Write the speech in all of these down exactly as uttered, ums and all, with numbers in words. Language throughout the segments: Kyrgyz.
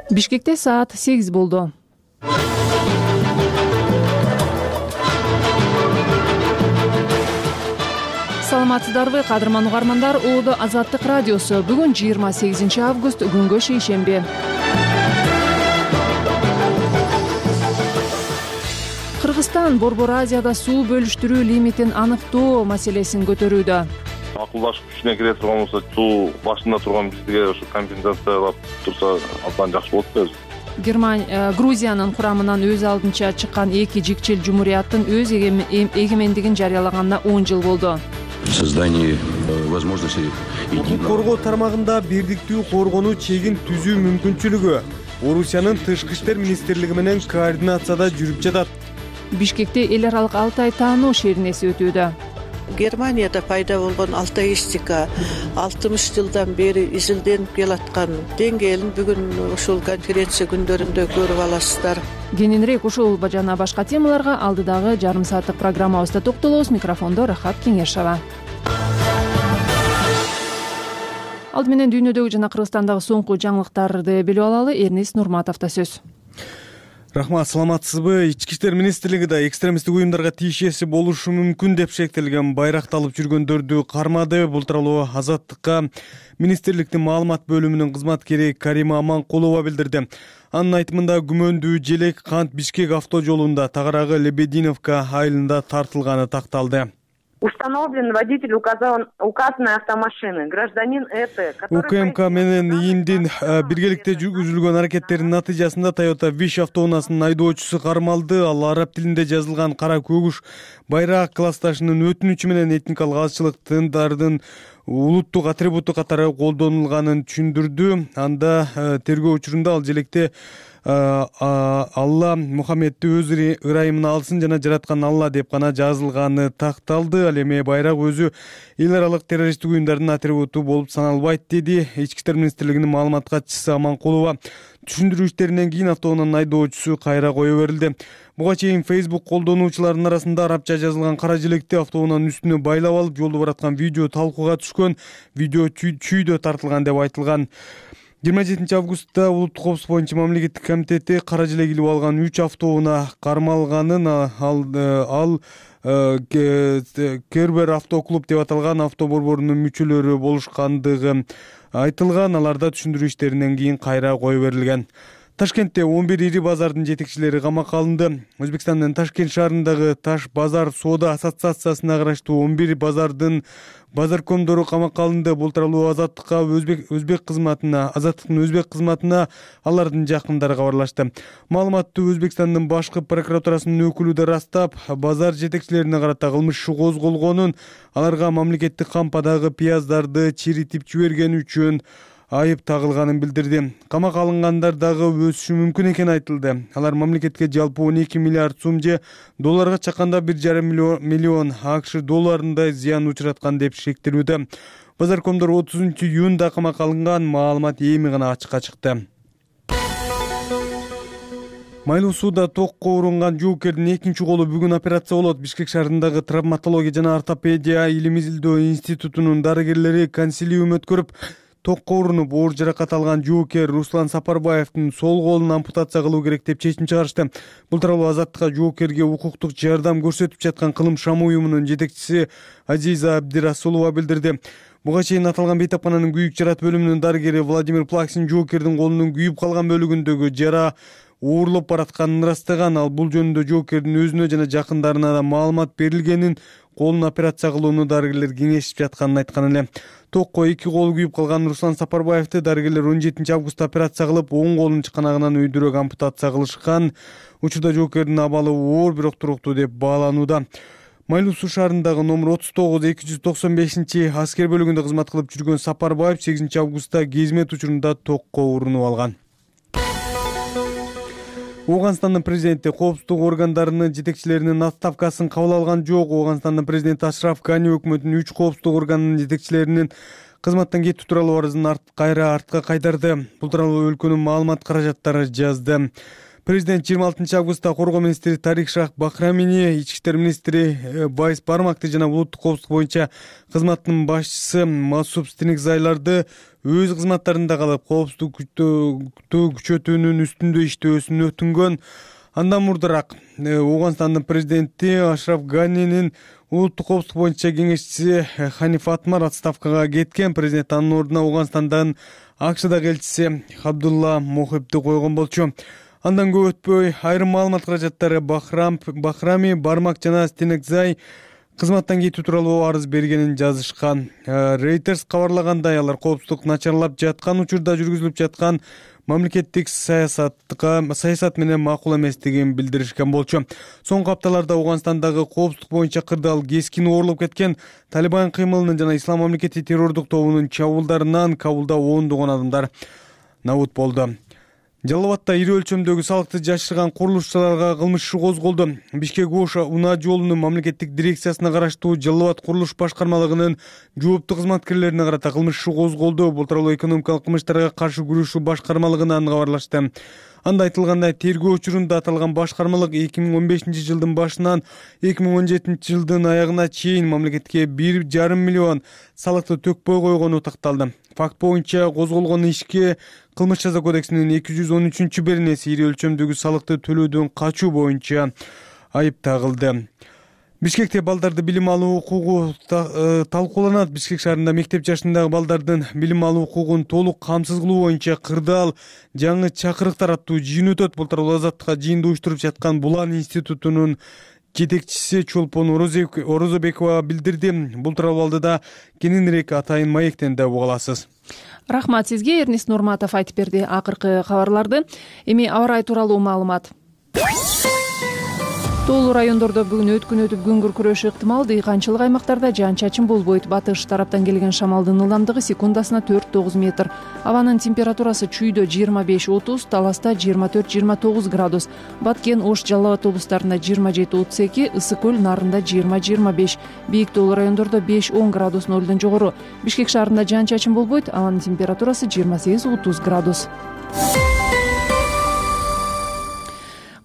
Бишкекте саат сегиз болду. Саламатсыздарбы, кадырман угармандар. Оодо Азаттык радиосу. Бүгүн жыйырма сегизинчи август, күнгө шейшемби. Кыргызстан Борбор Азияда суу бөлүштүрүү лимитин аныктоо маселесин көтөрүүдө. Акылдашып күчүнө кире турган болсо, суу башында турган бизге ошо компенсациялап турса, абдан жакшы болот да. Германия, Грузиянын курамынан өз алдынча чыккан эки жикчил жумурияттын өз эгемендигин жарыялаганына он жыл болду. Создание возможности укук коргоо тармагында бирдиктүү коргонуу чегин түзүү мүмкүнчүлүгү Орусиянын тышкы иштер министрлиги менен координацияда жүрүп жатат. Бишкекте эл аралык Алтай таануу шеринеси өтүүдө. Германияда пайда болгон алтаистика алтымыш жылдан бери изилденип келаткан деңгээлин бүгүн ушул конференция күндөрүндө көрүп аласыздар. Кененирээк ушул жана башка темаларга алдыдагы жарым сааттык программабызда токтолобуз. Микрофондо Рахат Кеңешова. Алды менен дүйнөдөгү жана Кыргызстандагы соңку жаңылыктарды билип алалы. Эрнис Нурматовдо сөз. Рахмат, саламатсызбы? Ички иштер министрлиги да экстремисттик уюмдарга тиешеси болушу мүмкүн деп шектелген байракты алып жүргөндөрдү кармады. Бул тууралуу Азаттыкка министрликтин маалымат бөлүмүнүн кызматкери Карима Аманкулова билдирди. Анын айтымында күмөндүү желек кант Бишкек автоо жолунда тагыраагы Лебединовка айылында тартылганы такталды. Установлен водитель указанной автомашины, гражданин Эт, УКМК менен ИИМдин биргеликте жүргүзүлгөн аракеттеринин натыйжасында Toyota Wish автоунаасынын айдоочусу кармалды. Ал араб тилинде жазылган кара көгүш байраак классташынын өтүнүчү менен этникалык азчылык тыңдардын улуттук атрибуту катары колдонулганын түшүндүрдү. Анда тергөө учурунда ал желекте Алла Мухаммедти өз ырайымына алсын жана жараткан Алла деп гана жазылганы такталды. Ал эми байрак өзү эл аралык террористтик уюмдардын атрибуту болуп саналбайт, деди Ички иштер министрлигинин маалымат катчысы Аманкулова. Түшүндүрүү иштеринен кийин автоунаанын айдоочусу кайра кое берилди. Буга чейин Facebook колдонуучуларынын арасында арабча жазылган кара желекти автоунаанын үстүнө байлап алып, жолдо бараткан видео талкууга түшкөн. Видео чүйдө тартылган деп айтылган. жыйырма жетинчи августта Улуттук коопсуздук боюнча мамлекеттик комитети кара желек илип алган үч автоунаа кармалганын, ал ал Кербер автоклуб деп аталган авто борборунун мүчөлөрү болушкандыгы айтылган. Аларда түшүндүрүү иштеринен кийин кайра кое берилген. Ташкентте он бир ири базардын жетекчилери камакка алынды. Өзбекстандын Ташкент шаарындагы Таш базар соода ассоциациясына караштуу он бир базардын базаркомдору камакка алынды. Бул тууралуу Азаттыкка өзбек өзбек кызматына, Азаттыктын өзбек кызматына алардын жакындары кабарлашты. Маалыматты Өзбекстандын башкы прокуратурасынын өкүлү да ырастап, базар жетекчилерине карата кылмыш иши козголгонун, аларга мамлекеттик кампадагы пияздарды чиритип жибергени үчүн айып тагылганын билдирди. Камакка алынгандар дагы өсүшү мүмкүн экени айтылды. Алар мамлекетке жалпы он эки миллиард сум же долларга чакканда бир жарым миллион АКШ долларындай зыян учураткан деп шектелүүдө. Базаркомдор отузунчу июнда камакка алынган. Маалымат эми гана ачыкка чыкты. Майлуу сууда токко урунган жоокердин экинчи колу бүгүн операция болот. Бишкек шаарындагы травматология жана ортопедия илим изилдөө институтунун дарыгерлери консилиум өткөрүп, токко урунуп оор жаракат алган жоокер Руслан Сапарбаевдин сол колун ампутация кылуу керек деп чечим чыгарышты. Бул тууралуу Азаттыкка жоокерге укуктук жардам көрсөтүп жаткан Кылым Шам уюмунун жетекчиси Азиза Абдирасулова билдирди. Буга чейин аталган бейтапкананын күйүк жарат бөлүмүнүн дарыгери Владимир Плаксин жоокердин колунун күйүп калган бөлүгүндөгү жара оорлоп баратканын ырастаган. Ал бул жөнүндө жоокердин өзүнө жана жакындарына да маалымат берилгенин, колун операция кылууну дарыгерлер кеңешип жатканын айткан эле. Токко эки колу күйүп калган Руслан Сапарбаевди дарыгерлер он жетинчи августта операция кылып, оң колун чыканагынан өйдүрөөк ампутация кылышкан. Учурда жоокердин абалы оор, бирок туруктуу деп бааланууда. Майлуу суу шаарындагы номер отуз тогуз эки жүз токсон бешинчи аскер бөлүгүндө кызмат кылып жүргөн Сапарбаев сегизинчи августта кезмет учурунда токко урунуп алган. Ооганстандын президенти коопсуздук органдарынын жетекчилеринин отставкасын кабыл алган жок. Ооганстандын президенти Ашраф Гани өкмөтүнүн үч коопсуздук органынын жетекчилеринин кызматтан кетүү тууралуу арызын арт кайра артка кайтарды. Бул тууралуу өлкөнүн маалымат каражаттары жазды. Президент жыйырма алтынчы августта коргоо министри Тарик Шах Бахрамини, ички иштер министри Байс Бармакты жана улуттук коопсуздук боюнча кызматтын башчысы Масуп Стеникзайларды өз кызматтарында калып коопсуздукту күчөтүүнүн үстүндө иштөөсүн өтүнгөн. Андан мурдараак Ооганстандын президенти Ашраф Ганинин улуттук коопсуздук боюнча кеңешчиси Ханиф Атмар отставкага кеткен. Президент анын ордуна Ооганстандан АКШдагы элчиси Абдулла Мохибди койгон болчу. Андан көп өтпөй айрым маалымат каражаттары Бахрам, Бахрами, Бармак жана Стенекзай кызматтан кетүү тууралуу арыз бергенин жазышкан. Reuters кабарлагандай, алар коопсуздук начарлап жаткан учурда жүргүзүлүп жаткан мамлекеттик саясатка саясат менен макул эместигин билдиришкен болчу. Соңку апталарда Ооганстандагы коопсуздук боюнча кырдаал кескин оорулуп кеткен. Талибан кыймылынын жана Ислам мамлекети террордук тобунун чабуулдарынан Кабулда ондогон адамдар набут болду. Жалал Абадта ири өлчөмдөгү салыкты жашырган курулушчуларга кылмыш иши козголду. Бишкек-Ош унаа жолунун мамлекеттик дирекциясына караштуу Жалал Абад курулуш башкармалыгынын жооптуу кызматкерлерине карата кылмыш иши козголду. Бул тууралуу экономикалык кылмыштарга каршы күрөшүү башкармалыгынан кабарлашты. Анда айтылгандай, тергөө учурунда аталган башкармалык эки миң он бешинчи жылдын башынан эки миң он жетинчи жылдын аягына чейин мамлекетке бир жарым миллион салыкты төкпөй койгону такталды. Факт боюнча козголгон ишке Кылмыш жаза кодексинин эки жүз он үчүнчү беренеси ири өлчөмдөгү салыкты төлөөдөн качуу боюнча айып тагылды. Бишкекте балдарды билим алуу укугу талкууланат. Бишкек шаарында мектеп жашындагы балдардын билим алуу укугун толук камсыз кылуу боюнча кырдаал жаңы чакырыктар аттуу жыйын өтөт. Бул тууралуу Азаттыкка жыйынды уюштуруп жаткан Булан институтунун жетекчиси Чолпон Орозобекова билдирди. Бул тууралуу алдыда кененирээк атайын маектен да уга аласыз. Рахмат сизге, Эрнис Нурматов айтып берди акыркы кабарларды. Эми аба ырайы тууралуу маалымат. Тоолуу райондордо бүгүн өткүн өтүп күн күркүрөшү ыктымал. Дыйканчылык аймактарда жаан-чачын болбойт. Батыш тараптан келген шамалдын ылдамдыгы секундасына төрт тогуз метр. Абанын температурасы чүйдө жыйырма беш отуз, Таласта жыйырма төрт жыйырма тогуз градус. Баткен, Ош, Жалал Абад облустарында жыйырма жети отуз эки, Ысык көл, Нарында жыйырма жыйырма беш. Бийик тоолуу райондордо беш он градус нолдон жогору. Бишкек шаарында жаан-чачын болбойт. Абанын температурасы жыйырма сегиз отуз градус.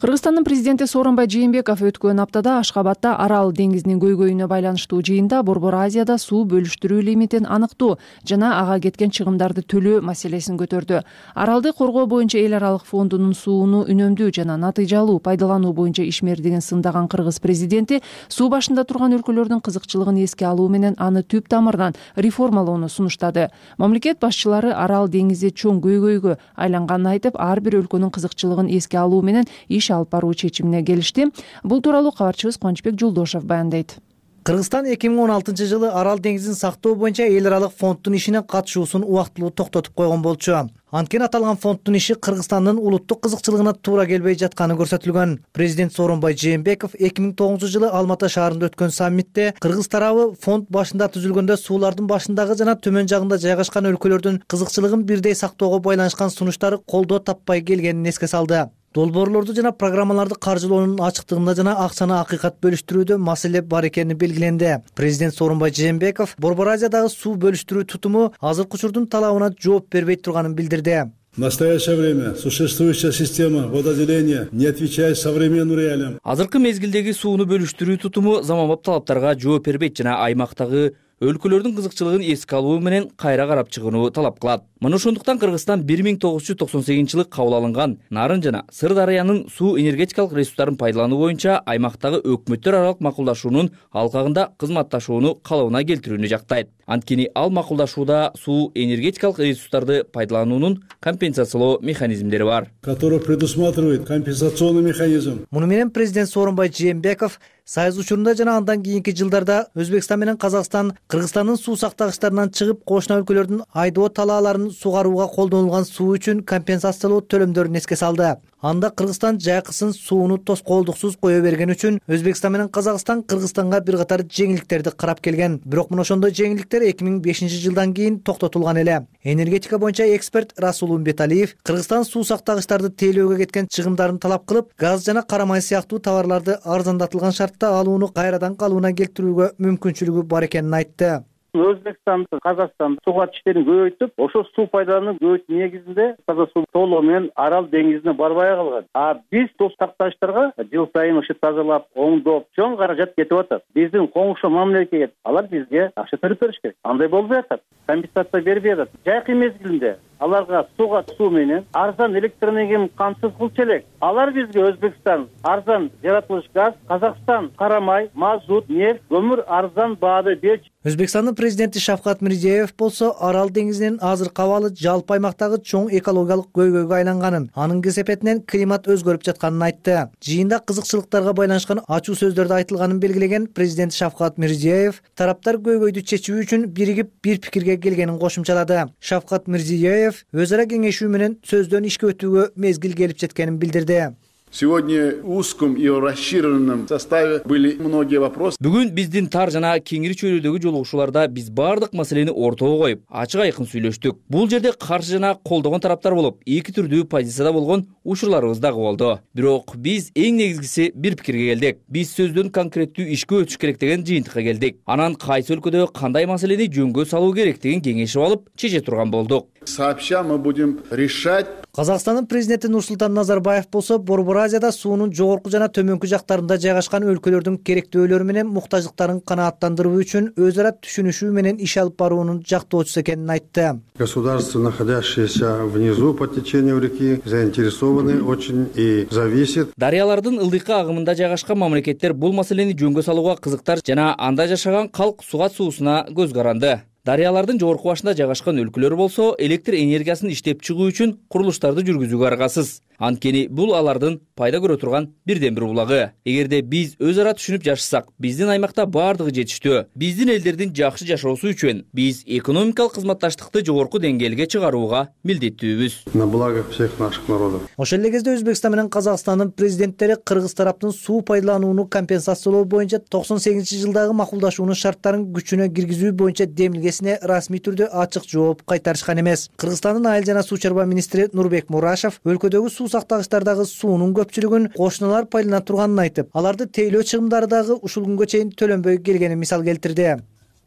Кыргызстандын президенти Сооронбай Жээнбеков өткөн аптада Ашхабадда Арал деңизинин көйгөйүнө байланыштуу жыйында Борбор Азияда суу бөлүштүрүү лимитин аныктоо жана ага кеткен чыгымдарды төлөө маселесин көтөрдү. Аралды коргоо боюнча эл аралык фондунун сууну үнөмдүү жана натыйжалуу пайдалануу боюнча ишмердигин сындаган кыргыз президенти суу башында турган өлкөлөрдүн кызыкчылыгын эске алуу менен аны түп тамырынан реформалоону сунуштады. Мамлекет башчылары Арал деңизи чоң көйгөйгө айланганын айтып, ар бир өлкөнүн кызыкчылыгын эске алуу менен иш алып баруу чечимине келишти. Бул тууралуу кабарчыбыз Кубанычбек Жолдошов баяндайт. Кыргызстан эки миң он алтынчы жылы Арал деңизин сактоо боюнча эл аралык фонддун ишине катышуусун убактылуу токтотуп койгон болчу. Анткени аталган фонддун иши Кыргызстандын улуттук кызыкчылыгына туура келбей жатканы көрсөтүлгөн. Президент Сооронбай Жээнбеков эки миң тогузунчу жылы Алматы шаарында өткөн саммитте кыргыз тарабы фонд башында түзүлгөндө суулардын башындагы жана төмөн жагында жайгашкан өлкөлөрдүн кызыкчылыгын бирдей сактоого байланышкан сунуштары колдоо таппай келгенин эске салды. Долбоорлорду жана программаларды каржылоонун ачыктыгында жана акчаны акыйкат бөлүштүрүүдө маселе бар экени белгиленди. Президент Сооронбай Жээнбеков Борбор Азиядагы суу бөлүштүрүү тутуму азыркы учурдун талабына жооп бербей турганын билдирди. В настоящее время существующая система водоотделения не отвечает современным реалиям. Азыркы мезгилдеги сууну бөлүштүрүү тутуму заманбап талаптарга жооп бербейт жана аймактагы өлкөлөрдүн кызыкчылыгын эске алуу менен кайра карап чыгууну талап кылат. Мына ошондуктан Кыргызстан бир миң тогуз жүз токсон сегизинчи жылы кабыл алынган Нарын жана Сырдарыянын суу энергетикалык ресурстарын пайдалануу боюнча аймактагы өкмөттөр аралык макулдашуунун алкагында кызматташууну калыбына келтирүүнү жактайт. Анткени ал макулдашууда суу энергетикалык ресурстарды пайдалануунун компенсациялоо механизмдери бар, который предусматривает компенсационный механизм. Муну менен президент Сооронбай Жээнбеков Сайыз учурунда жана андан кийинки жылдарда Өзбекстан менен Казакстан Кыргызстандын суу сактагычтарынан чыгып кошуна өлкөлөрдүн айдоо талааларын сугарууга колдонулган суу үчүн компенсациялоо төлөмдөрүн эске салды. Анда Кыргызстан жайкысын сууну тоскоолдуксуз кое берген үчүн Өзбекстан менен Казакстан Кыргызстанга бир катар жеңилдиктерди карап келген. Бирок мына ошондой жеңилдиктер эки миң бешинчи жылдан кийин токтотулган эле. Энергетика боюнча эксперт Расул Умбеталиев Кыргызстан суу сактагычтарды тейлөөгө кеткен чыгымдарын талап кылып, газ жана кара май сыяктуу товарларды арзандатылган шартта алууну кайрадан калыбына келтирүүгө мүмкүнчүлүгү бар экенин айтты. Өзбекстанды, Казакстанды сууга иштерин көбөйтүп, ошо суу пайдалануу көбөйтүү негизинде таза суу толугу менен Арал деңизине барбай калган. А биз дос такташтарга жыл сайын ошо тазалап, оңдоп, чоң каражат кетип атат. Биздин коңшу мамлекет, алар бизге акча төлөп бериш керек. Андай болбой атат. Компенсация бербей атат. Жайкы мезгилинде аларга сууга суу менен арзан электроэнергияны камсыз кылчу элек. Алар бизге Өзбекстан арзан жаратылыш газ, Казакстан кара май, мазут, нефть, көмүр арзан баада берчү. Өзбекстандын президенти Шавкат Мирзиёев болсо Арал деңизинин азыркы абалы жалпы аймактагы чоң экологиялык көйгөйгө айланганын, анын кесепетинен климат өзгөрүп жатканын айтты. Жыйында кызыкчылыктарга байланышкан ачуу сөздөрдө айтылганын белгилеген президент Шавкат Мирзиёев тараптар көйгөйдү чечүү үчүн биригип бир пикирге келгенин кошумчалады. Шавкат Мирзиёев өз ара кеңешүү менен сөздөн ишке өтүүгө мезгил келип жеткенин билдирди. Сегодня в узком и расширенном составе были многие вопросы. Бүгүн биздин тар жана кеңири чөйрөдөгү жолугушууларда биз бардык маселени ортого коюп, ачык айкын сүйлөштүк. Бул жерде каршы жана колдогон тараптар болуп, эки түрдүү позицияда болгон учурларыбыз дагы болду. Бирок биз эң негизгиси бир пикирге келдик. Биз сөздөн конкреттүү ишке өтүш керек деген жыйынтыкка келдик. Анан кайсы өлкөдө кандай маселени жөнгө салуу керектигин кеңешип алып, чече турган болдук. Сообща мы будем решать. Казакстандын президенти Нурсултан Назарбаев болсо Борбор Азияда суунун жогорку жана төмөнкү жактарында жайгашкан өлкөлөрдүн керектөөлөрү менен муктаждыктарын канааттандыруу үчүн өз ара түшүнүшүү менен иш алып баруунун жактоочусу экенин айтты. Государства, находящиеся внизу по течению реки, заинтересованы очень и зависят. Дарыялардын ылдыйкы агымында жайгашкан мамлекеттер бул маселени жөнгө салууга кызыктар жана анда жашаган калк сугат суусуна көз каранды. Дарыялардын жогорку башында жайгашкан өлкөлөр болсо электр энергиясын иштеп чыгуу үчүн курулуштарды жүргүзүүгө аргасыз. Анткени бул алардын пайда көрө турган бирден бир булагы. Эгерде биз өз ара түшүнүп жашасак, биздин аймакта баардыгы жетиштүү. Биздин элдердин жакшы жашоосу үчүн биз экономикалык кызматташтыкты жогорку деңгээлге чыгарууга милдеттүүбүз. На благо всех наших народов. Ошол эле кезде Өзбекстан менен Казакстандын президенттери кыргыз тараптын суу пайдаланууну компенсациялоо боюнча токсон сегизинчи жылдагы макулдашуунун шарттарын күчүнө киргизүү боюнча демилгесине расмий түрдө ачык жооп кайтарышкан эмес. Кыргызстандын айыл жана суу чарба министри Нурбек Мурашев өлкөдөгү суу сактагычтардагы суунун көпчүлүгүн кошуналар пайдалана турганын айтып, аларды тейлөө чыгымдары дагы ушул күнгө чейин төлөнбөй келгенин мисал келтирди.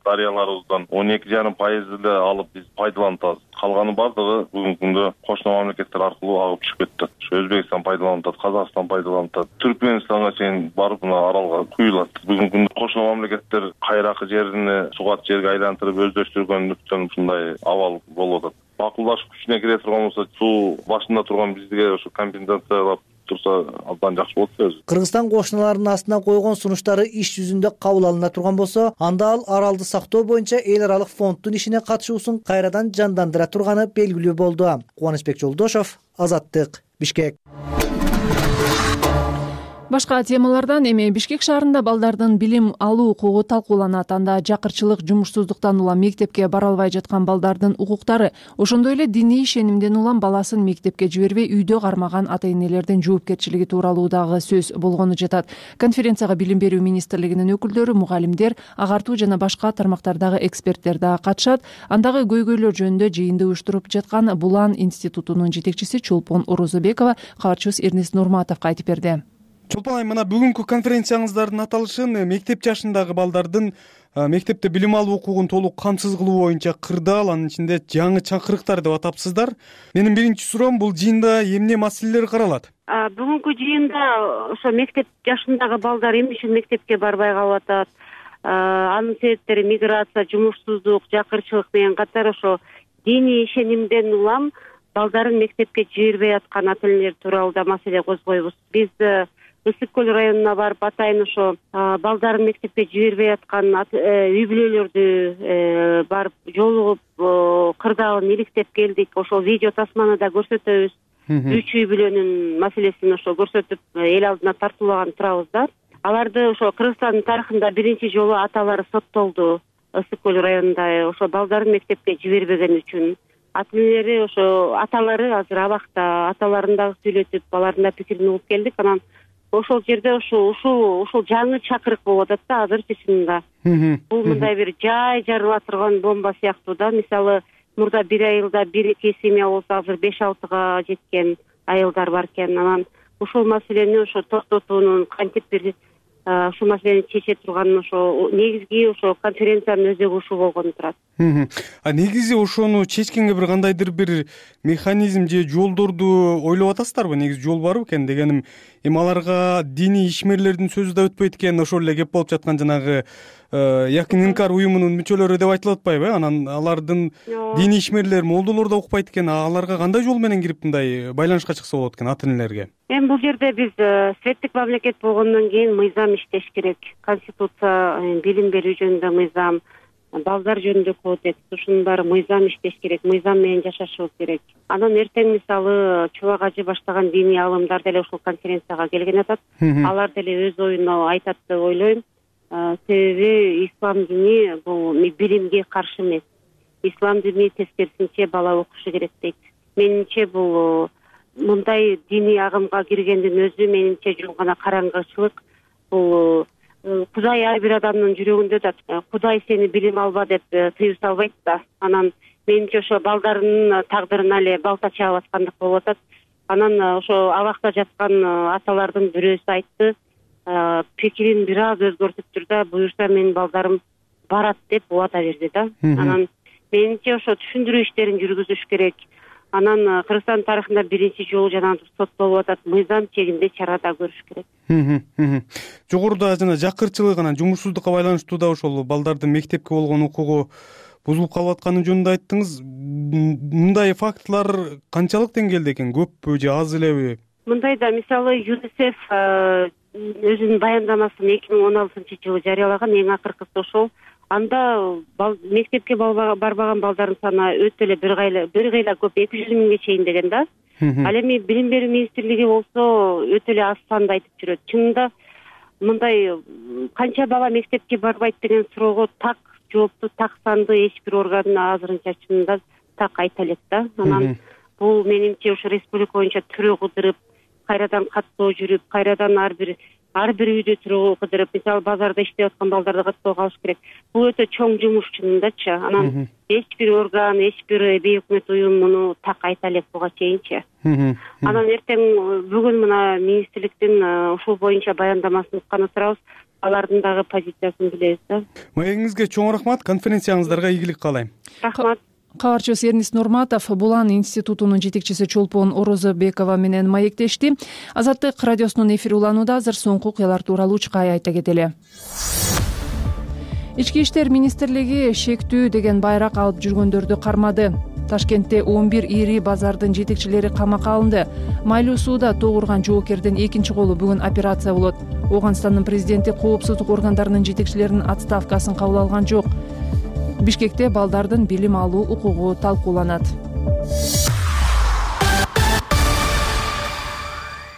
Дарыяларыбыздан он эки жарым пайыз эле алып биз пайдаланып атабыз. Калганы бардыгы бүгүнкү күндө кошуна мамлекеттер аркылуу агып түшүп кетти. Ошо Өзбекстан пайдаланып атат, Казакстан пайдаланып атат. Түркмөнстанга чейин барып мына аралга куюлат. Бүгүнкү күндө кошуна мамлекеттер кайракы жерине сугат жерге айлантырып өздөштүргөндүктөн ушундай абал болуп атат. Макулдашуу күчүнө кире турган болсо, суу башында турган бизге ошо компенсациялап турса абдан жакшы болот өзү. Кыргызстан кошуналарынын астына койгон сунуштары иш жүзүндө кабыл алына турган болсо, анда ал аралды сактоо боюнча эл аралык фонддун ишине катышуусун кайрадан жандандыра турганы белгилүү болду. Кубанычбек Жолдошов, Азаттык, Бишкек. Башка темалардан эми Бишкек шаарында балдардын билим алуу укугу талкууланат. Анда жакырчылык, жумушсуздуктан улам мектепке бара албай жаткан балдардын укуктары, ошондой эле диний ишенимден улам баласын мектепке жибербей үйдө кармаган ата-энелердин жоопкерчилиги тууралуу дагы сөз болгону жатат. Конференцияга Билим берүү министрлигинин өкүлдөрү, мугалимдер, агартуу жана башка тармактардагы эксперттер дагы катышат. Андагы көйгөйлөр жөнүндө жыйынды уюштуруп жаткан Булан институтунун жетекчиси Чолпон Орозобекова кабарчыбыз Эрнест Нурматовго айтып берди. Чолпон айым, мына бүгүнкү конференцияңыздардын аталышын мектеп жашындагы балдардын мектепте билим алуу укугун толук камсыз кылуу боюнча кырдаал, анын ичинде жаңы чакырыктар деп атапсыздар. Менин биринчи суроом, бул жыйында эмне маселелер каралат? Бүгүнкү жыйында ошо мектеп жашындагы балдар эмне үчүн мектепке барбай калып атат, анын себептери миграция, жумушсуздук, жакырчылык менен катар ошо диний ишенимден улам балдарын мектепке жибербей аткан ата-энелер тууралуу да маселе козгойбуз. Биз Ысык көл районуна барып атайын ошо балдарын мектепке жибербей аткан үй бүлөлөрдү барып жолугуп кырдаалын иликтеп келдик. Ошол видео тасманы да көрсөтөбүз. Үч үй бүлөнүн маселесин ошо көрсөтүп эл алдына тартуулаган турабыз да. Аларды ошо Кыргызстандын тарыхында биринчи жолу аталары соттолду. Ысык көл районунда ошо балдарын мектепке жибербеген үчүн. Ата-энелери ошо аталары азыр абакта, аталарын дагы сүйлөтүп, алардын да пикирин угуп келдик. Анан ошол жерде ошо ушул ушул жаңы чакырык болуп атат да азыр чынында. Бул мындай бир жай жарыла турган бомба сыяктуу да. Мисалы, мурда бир айылда бир эки семья болсо, азыр беш алтыга жеткен айылдар бар экен. Анан ушул маселени ошо токтотуунун, кантип бир ушул маселени чече турган ошо негизги ошо конференциянын өзөгү ушул болгону турат. А негизи ошону чечкенге бир кандайдыр бир механизм же жолдорду ойлоп атасыздарбы? Негизи жол бар бекен дегеним, эми аларга диний ишмерлердин сөзү да өтпөйт экен, ошол эле кеп болуп жаткан жанагы Якын Инкар уюмунун мүчөлөрү деп айтылып атпайбы? Анан алардын диний ишмерлер, молдолор да укпайт экен. Аларга кандай жол менен кирип мындай байланышка чыкса болот экен ата энелерге? Эми бул жерде биз светтик мамлекет болгондон кийин мыйзам иштеш керек. Конституция, билим берүү жөнүндө мыйзам, балдар жөнүндө кодекс, ушунун баары мыйзам иштеш керек, мыйзам менен жашашыбыз керек. Анан эртең мисалы чубак ажы баштаган диний алымдар деле ушул конференцияга келген атат. Алар деле өз оюн айтат деп ойлойм. Себеби ислам дини бул билимге каршы эмес. Ислам дини тескерисинче бала окушу керек дейт. Менимче бул мындай диний агымга киргендин өзү менимче жөн гана караңгычылык. Бул Кудай ар бир адамдын жүрөгүндө да Кудай сени билим алба деп тыюу салбайт да. Анан менимче ошо балдарынын тагдырына эле балта чаап аткандык болуп атат. Анан ошо абакта жаткан аталардын бирөөсү айтты, пикирин бир аз өзгөртүптүр да, буюрса менин балдарым барат деп убада берди да. Анан менимче ошо түшүндүрүү иштерин жүргүзүш керек. Анан Кыргызстан тарыхында биринчи жолу жана соттолуп атат, мыйзам чегинде чара да көрүш керек. Жогоруда жана жакырчылык анан жумушсуздукка байланыштуу да ошол балдардын мектепке болгон укугу бузулуп калып атканы жөнүндө айттыңыз. Мындай фактылар канчалык деңгээлде экен? Көппү же аз элеби? Мындай да, мисалы ЮНИСЕФ өзүнүн баяндамасын эки миң он алтынчы жылы жарыялаган, эң акыркысы ошол. Анда мектепке барбаган балдардын саны өтө эле бир кайла бир кыйла көп, эки жүз миңге чейин деген да. Ал эми билим берүү министрлиги болсо өтө эле аз санды айтып жүрөт. Чынында мындай канча бала мектепке барбайт деген суроого так жоопту, так санды эч бир орган азырынча чынында так айта элек да. Анан бул менимче ушу республика боюнча түрө кыдырып, кайрадан каттоо жүрүп, кайрадан ар бир ар бир үйдө түрө кыдырып, мисалы базарда иштеп аткан балдарды каттоого алыш керек. Бул өтө чоң жумуш чынындачы. Анан эч бир орган, эч бир бейөкмөт уюм муну так айта элек буга чейинчи. Анан эртең бүгүн мына министрликтин ушул боюнча баяндамасын укканы турабыз. Алардын дагы позициясын билебиз да. Маегиңизге чоң рахмат, конференцияңыздарга ийгилик каалайм. Рахмат. Кабарчыбыз Эрнис Нурматов Булан институтунун жетекчиси Чолпон Орозобекова менен маектешти. Азаттык радиосунун эфири уланууда. Азыр соңку окуялар тууралуу чыкай айта кетели. Ички иштер министрлиги шектүү деген байрак алып жүргөндөрдү кармады. Ташкентте он бир ири базардын жетекчилери камакка алынды. Майлуу сууда тогурган жоокердин экинчи колу бүгүн операция болот. Ооганстандын президенти коопсуздук органдарынын жетекчилеринин отставкасын кабыл алган жок. Бишкекте балдардын билим алуу укугу талкууланат.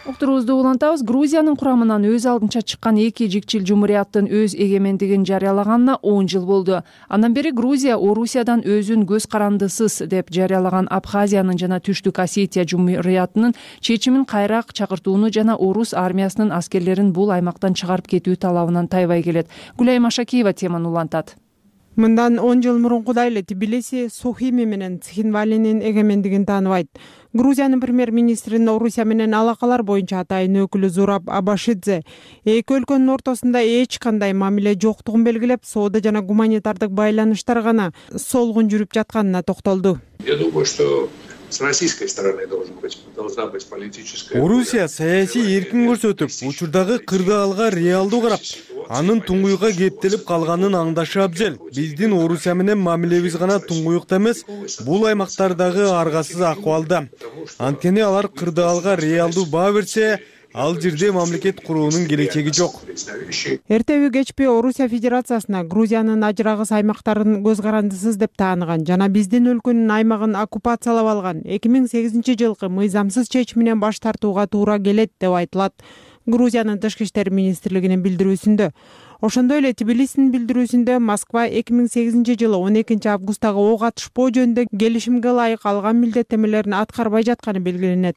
Уктуруубузду улантабыз. Грузиянын курамынан өз алдынча чыккан эки жикчил жумурияттын өз эгемендигин жарыялаганына он жыл болду. Андан бери Грузия Орусиядан өзүн көз карандысыз деп жарыялаган Абхазиянын жана Түштүк Осетия жумуриятынын чечимин кайра чакыртууну жана орус армиясынын аскерлерин бул аймактан чыгарып кетүү талабынан тайбай келет. Гүлайым Ашакиева теманы улантат. Мындан он жыл мурункудай эле Тбилиси Сухими менен Цхинвалинин эгемендигин тааныбайт. Грузиянын премьер-министринин Орусия менен алакалар боюнча атайын өкүлү Зураб Абашидзе эки өлкөнүн ортосунда эч кандай мамиле жоктугун белгилеп, соода жана гуманитардык байланыштар гана солгун жүрүп жатканына токтолду. Я думаю, что с российской стороны должна быть политическая. Орусия саясий эркин көрсөтүп, учурдагы кырдаалга реалдуу карап, анын туңгуйга кептелип калганын аңдашы абзел. Биздин Орусия менен мамилебиз гана туңгуйукта эмес, бул аймактардагы аргасыз акыбалда. Анткени алар кырдаалга реалдуу баа берсе, ал жерде мамлекет куруунун келечеги жок. Эртеби кечпи Орусия Федерациясына Грузиянын ажырагыс аймактарын көз карандысыз деп тааныган жана биздин өлкөнүн аймагын оккупациялап алган эки миң сегизинчи жылкы мыйзамсыз чечиминен баш тартууга туура келет деп айтылат Грузиянын тышкы иштер министрлигинин билдирүүсүндө. Ошондой эле Тбилисинин билдирүүсүндө Москва эки миң сегизинчи жылы он экинчи августтагы ок атышпоо жөнүндө келишимге ылайык алган милдеттенмелерин аткарбай жатканы белгиленет.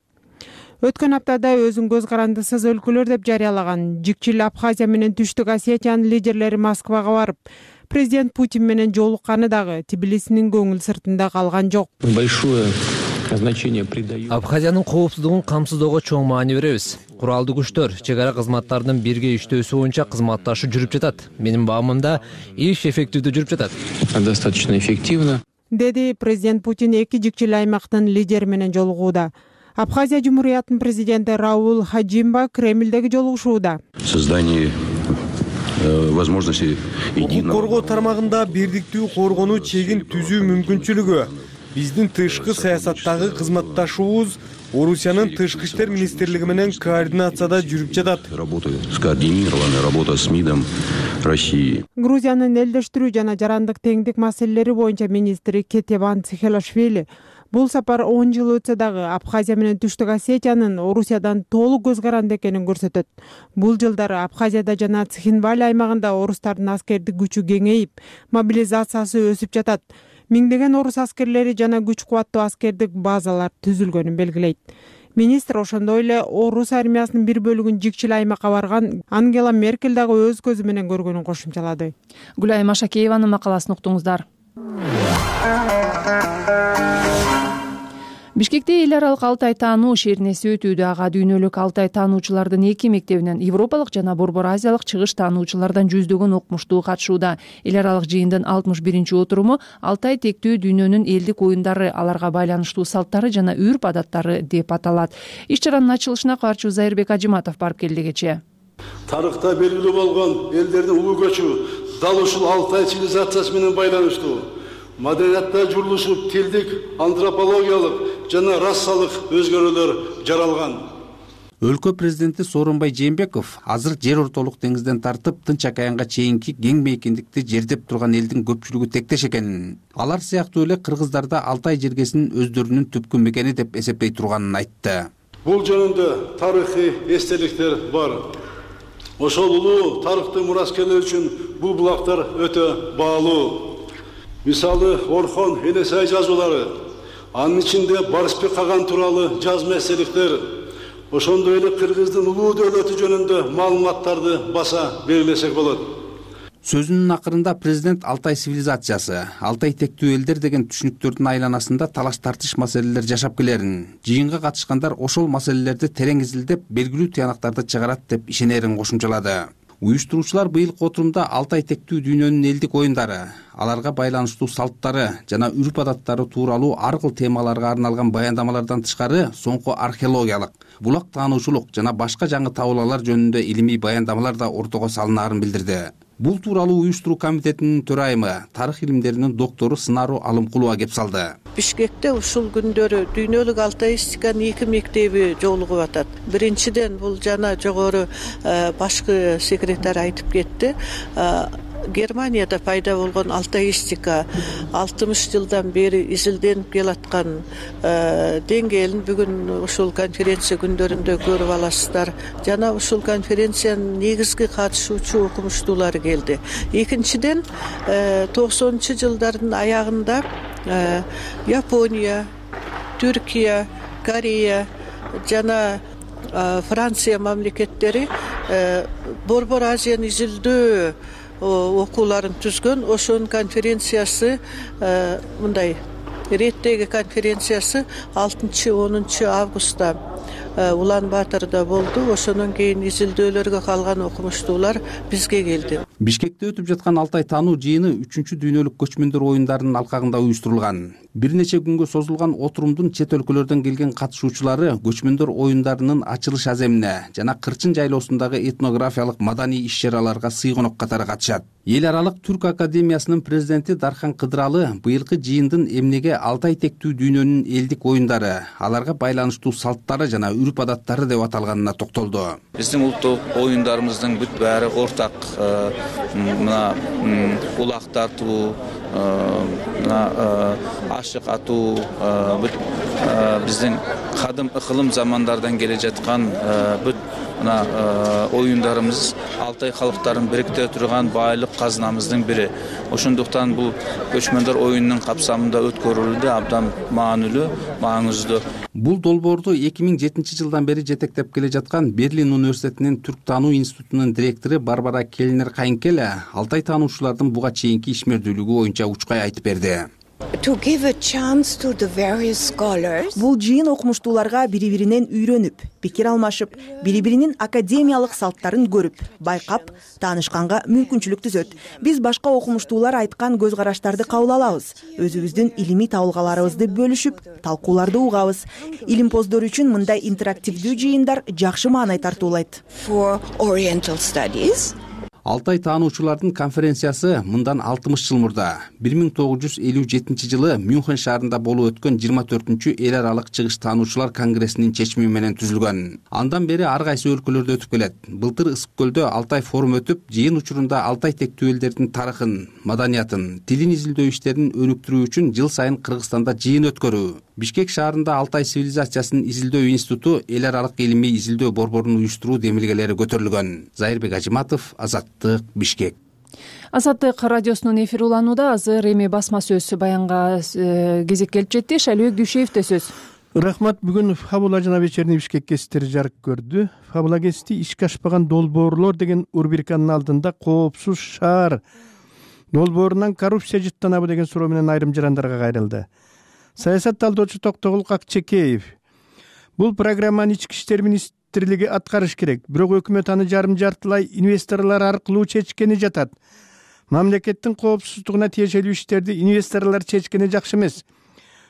Өткөн аптада өзүн көз карандысыз өлкөлөр деп жарыялаган жикчил Абхазия менен Түштүк Осетиянын лидерлери Москвага барып, президент Путин менен жолукканы дагы Тбилисинин көңүл сыртында калган жок. Большое Абхазиянын коопсуздугун камсыздоого чоң маани беребиз. Куралдуу күчтөр, чек ара кызматтарынын бирге иштөөсү боюнча кызматташуу жүрүп жатат. Менин баамымда иш эффективдүү жүрүп жатат. Достаточно эффективно, деди президент Путин эки жикчил аймактын лидери менен жолугууда. Абхазия Жумуриятынын президенти Раул Хаджимба Кремлдеги жолугушууда. Создание возможности укук коргоо тармагында бирдиктүү коргонуу чегин түзүү мүмкүнчүлүгү, биздин тышкы саясаттагы кызматташуубуз Орусиянын тышкы иштер министрлиги менен координацияда жүрүп жатат. Скоординированная работа с МИДом России. Грузиянын элдештирүү жана жарандык теңдик маселелери боюнча министри Кетеван Цхелашвили бул сапар он жыл өтсө дагы Абхазия менен Түштүк Осетиянын Орусиядан толук көз каранды экенин көрсөтөт. Бул жылдары Абхазияда жана Цхинвали аймагында орустардын аскердик күчү кеңейип, мобилизациясы өсүп жатат. Миңдеген орус аскерлери жана күч кубаттуу аскердик базалар түзүлгөнүн белгилейт. Министр ошондой эле орус армиясынын бир бөлүгүн жикчил аймакка барган Ангела Меркель дагы өз көзү менен көргөнүн кошумчалады. Гүлайым Ашакееванын макаласын уктуңуздар. Бишкекте эл аралык Алтай таануу шернеси өтүүдө. Ага дүйнөлүк Алтай таануучулардын эки мектебинен европалык жана борбор азиялык чыгыш таануучулардан жүздөгөн окумуштуу катышууда. Эл аралык жыйындын алтымыш биринчи отуруму Алтай тектүү дүйнөнүн элдик оюндары, аларга байланыштуу салттары жана үрп адаттары деп аталат. Иш чаранын ачылышына каарчу Зайырбек Ажиматов барып келди кечээ. Тарыхта белгилүү болгон элдердин улуу көчү дал ушул Алтай цивилизациясы менен байланыштуу. Маданиятта журулушуп, тилдик, антропологиялык жана расалык өзгөрүүлөр жаралган. Өлкө президенти Сооронбай Жээнбеков азыр жер ортолук деңизден тартып Тынч океанга чейинки кең мейкиндикти жердеп турган элдин көпчүлүгү тектеш экенин, алар сыяктуу эле кыргыздарда Алтай жергесинин өздөрүнүн түпкү мекени деп эсептей турганын айтты. Бул жөнүндө тарыхый эстеликтер бар. Ошол улуу тарыхты мураскерлер үчүн бул булактар өтө баалуу. Мисалы Орхон Энесай жазуулары, анын ичинде Барысбек Каган тууралуу жазма эстеликтер, ошондой эле кыргыздын улуу дөөлөтү жөнүндө маалыматтарды баса белгилесек болот. Сөзүнүн акырында президент Алтай цивилизациясы, Алтай тектүү элдер деген түшүнүктөрдүн айланасында талаш тартыш маселелер жашап келерин, жыйынга катышкандар ошол маселелерди терең изилдеп, белгилүү тыянактарды чыгарат деп ишенерин кошумчалады. Уюштуруучулар быйылкы отурумда Алтай тектүү дүйнөнүн элдик оюндары, аларга байланыштуу салттары жана үрп адаттары тууралуу ар кыл темаларга арналган баяндамалардан тышкары соңку археологиялык, булак таануучулук жана башка жаңы табуулалар жөнүндө илимий баяндамалар да ортого салынаарын билдирди. Бул тууралуу уюштуруу комитетинин төрайымы, тарых илимдеринин доктору Сынару Алымкулова кеп салды. Бишкекте ушул күндөрү дүйнөлүк алтаистиканын эки мектеби жолугуп атат. Биринчиден бул жана жогору башкы секретарь айтып кетти. Германияда пайда болгон алтаистика алтымыш жылдан бери изилденип келаткан деңгээлин бүгүн ушул конференция күндөрүндө көрүп аласыздар. Жана ушул конференциянын негизги катышуучу окумуштуулары келди. Экинчиден токсонунчу жылдардын аягында Япония, Түркия, Корея жана Франция мамлекеттери борбор Азияны изилдөө окууларын түзгөн. Ошонун конференциясы мындай реттеги конференциясы алтынчы онунчу августта Улан Батырда болду. Ошондон кийин изилдөөлөргө калган окумуштуулар бизге келди. Бишкекте өтүп жаткан Алтай таануу жыйыны үчүнчү дүйнөлүк көчмөндөр оюндарынын алкагында уюштурулган. Бир нече күнгө созулган отурумдун чет өлкөлөрдөн келген катышуучулары көчмөндөр оюндарынын ачылыш аземине жана Кырчын жайлоосундагы этнографиялык маданий иш-чараларга сыйгонок катары катышат. Эл аралык Түрк академиясынын президенти Дархан Кыдыралы быйылкы жыйындын эмнеге Алтай тектүү дүйнөнүн элдик оюндары, аларга байланыштуу салттары жана үрп адаттары деп аталганына токтолду. Биздин улуттук оюндарыбыздын бүт баары ортак. Мына улак тартуу, мына ашык атуу, бүт биздин кадым ыкылым замандардан келе жаткан бүт мына оюндарыбыз Алтай калктарын бириктире турган байлык казынамыздын бири. Ошондуктан бул көчмөндөр оюнунун капсамында өткөрүлүүдө абдан маанилүү, маңыздуу. Бул долбоорду эки миң жетинчи жылдан бери жетектеп келе жаткан Берлин университетинин Түрк таануу институтунун директору Барбара Келнер Кайынкеле Алтай таануучулардын буга чейинки ишмердүүлүгү боюнча учкай айтып берди. Бул жыйын окумуштууларга бири биринен үйрөнүп, пикир алмашып, бири биринин академиялык салттарын көрүп, байкап, таанышканга мүмкүнчүлүк түзөт. Биз башка окумуштуулар айткан көз караштарды кабыл алабыз, өзүбүздүн илимий табылгаларыбызды бөлүшүп, талкууларды угабыз. Илимпоздор үчүн мындай интерактивдүү жыйындар жакшы маанай тартуулайт. Алтай таануучулардын конференциясы мындан алтымыш жыл мурда бир миң тогуз жүз элүү жетинчи жылы Мюнхен шаарында болуп өткөн жыйырма төртүнчү эл аралык чыгыш таануучулар конгрессинин чечими менен түзүлгөн. Андан бери ар кайсы өлкөлөрдө өтүп келет. Былтыр Ысык көлдө Алтай форум өтүп, жыйын учурунда Алтай тектүү элдердин тарыхын, маданиятын, тилин изилдөө иштерин өнүктүрүү үчүн жыл сайын Кыргызстанда жыйын өткөрүү, Бишкек шаарында Алтай цивилизациясын изилдөө институту эл аралык илимий изилдөө борборун уюштуруу демилгелери көтөрүлгөн. Зайырбек Ажиматов, Азаттык, Бишкек. Азаттык радиосунун эфири уланууда. Азыр эми басма сөз баянга кезек келип жетти. Шалбек Дүйшеевде сөз. Рахмат. Бүгүн Фабула жана Вечерний Бишкек гезиттери жарык көрдү. Фабула гезити ишке ашпаган долбоорлор деген рубриканын алдында коопсуз шаар долбоорунан коррупция жыттанабы деген суроо менен айрым жарандарга кайрылды. Саясат талдоочу Токтогул Акчекеев: бул программаны ички иштер министрлиги аткарыш керек, бирок өкмөт аны жарым жартылай инвесторлор аркылуу чечкени жатат. Мамлекеттин коопсуздугуна тиешелүү иштерди инвесторлор чечкени жакшы эмес.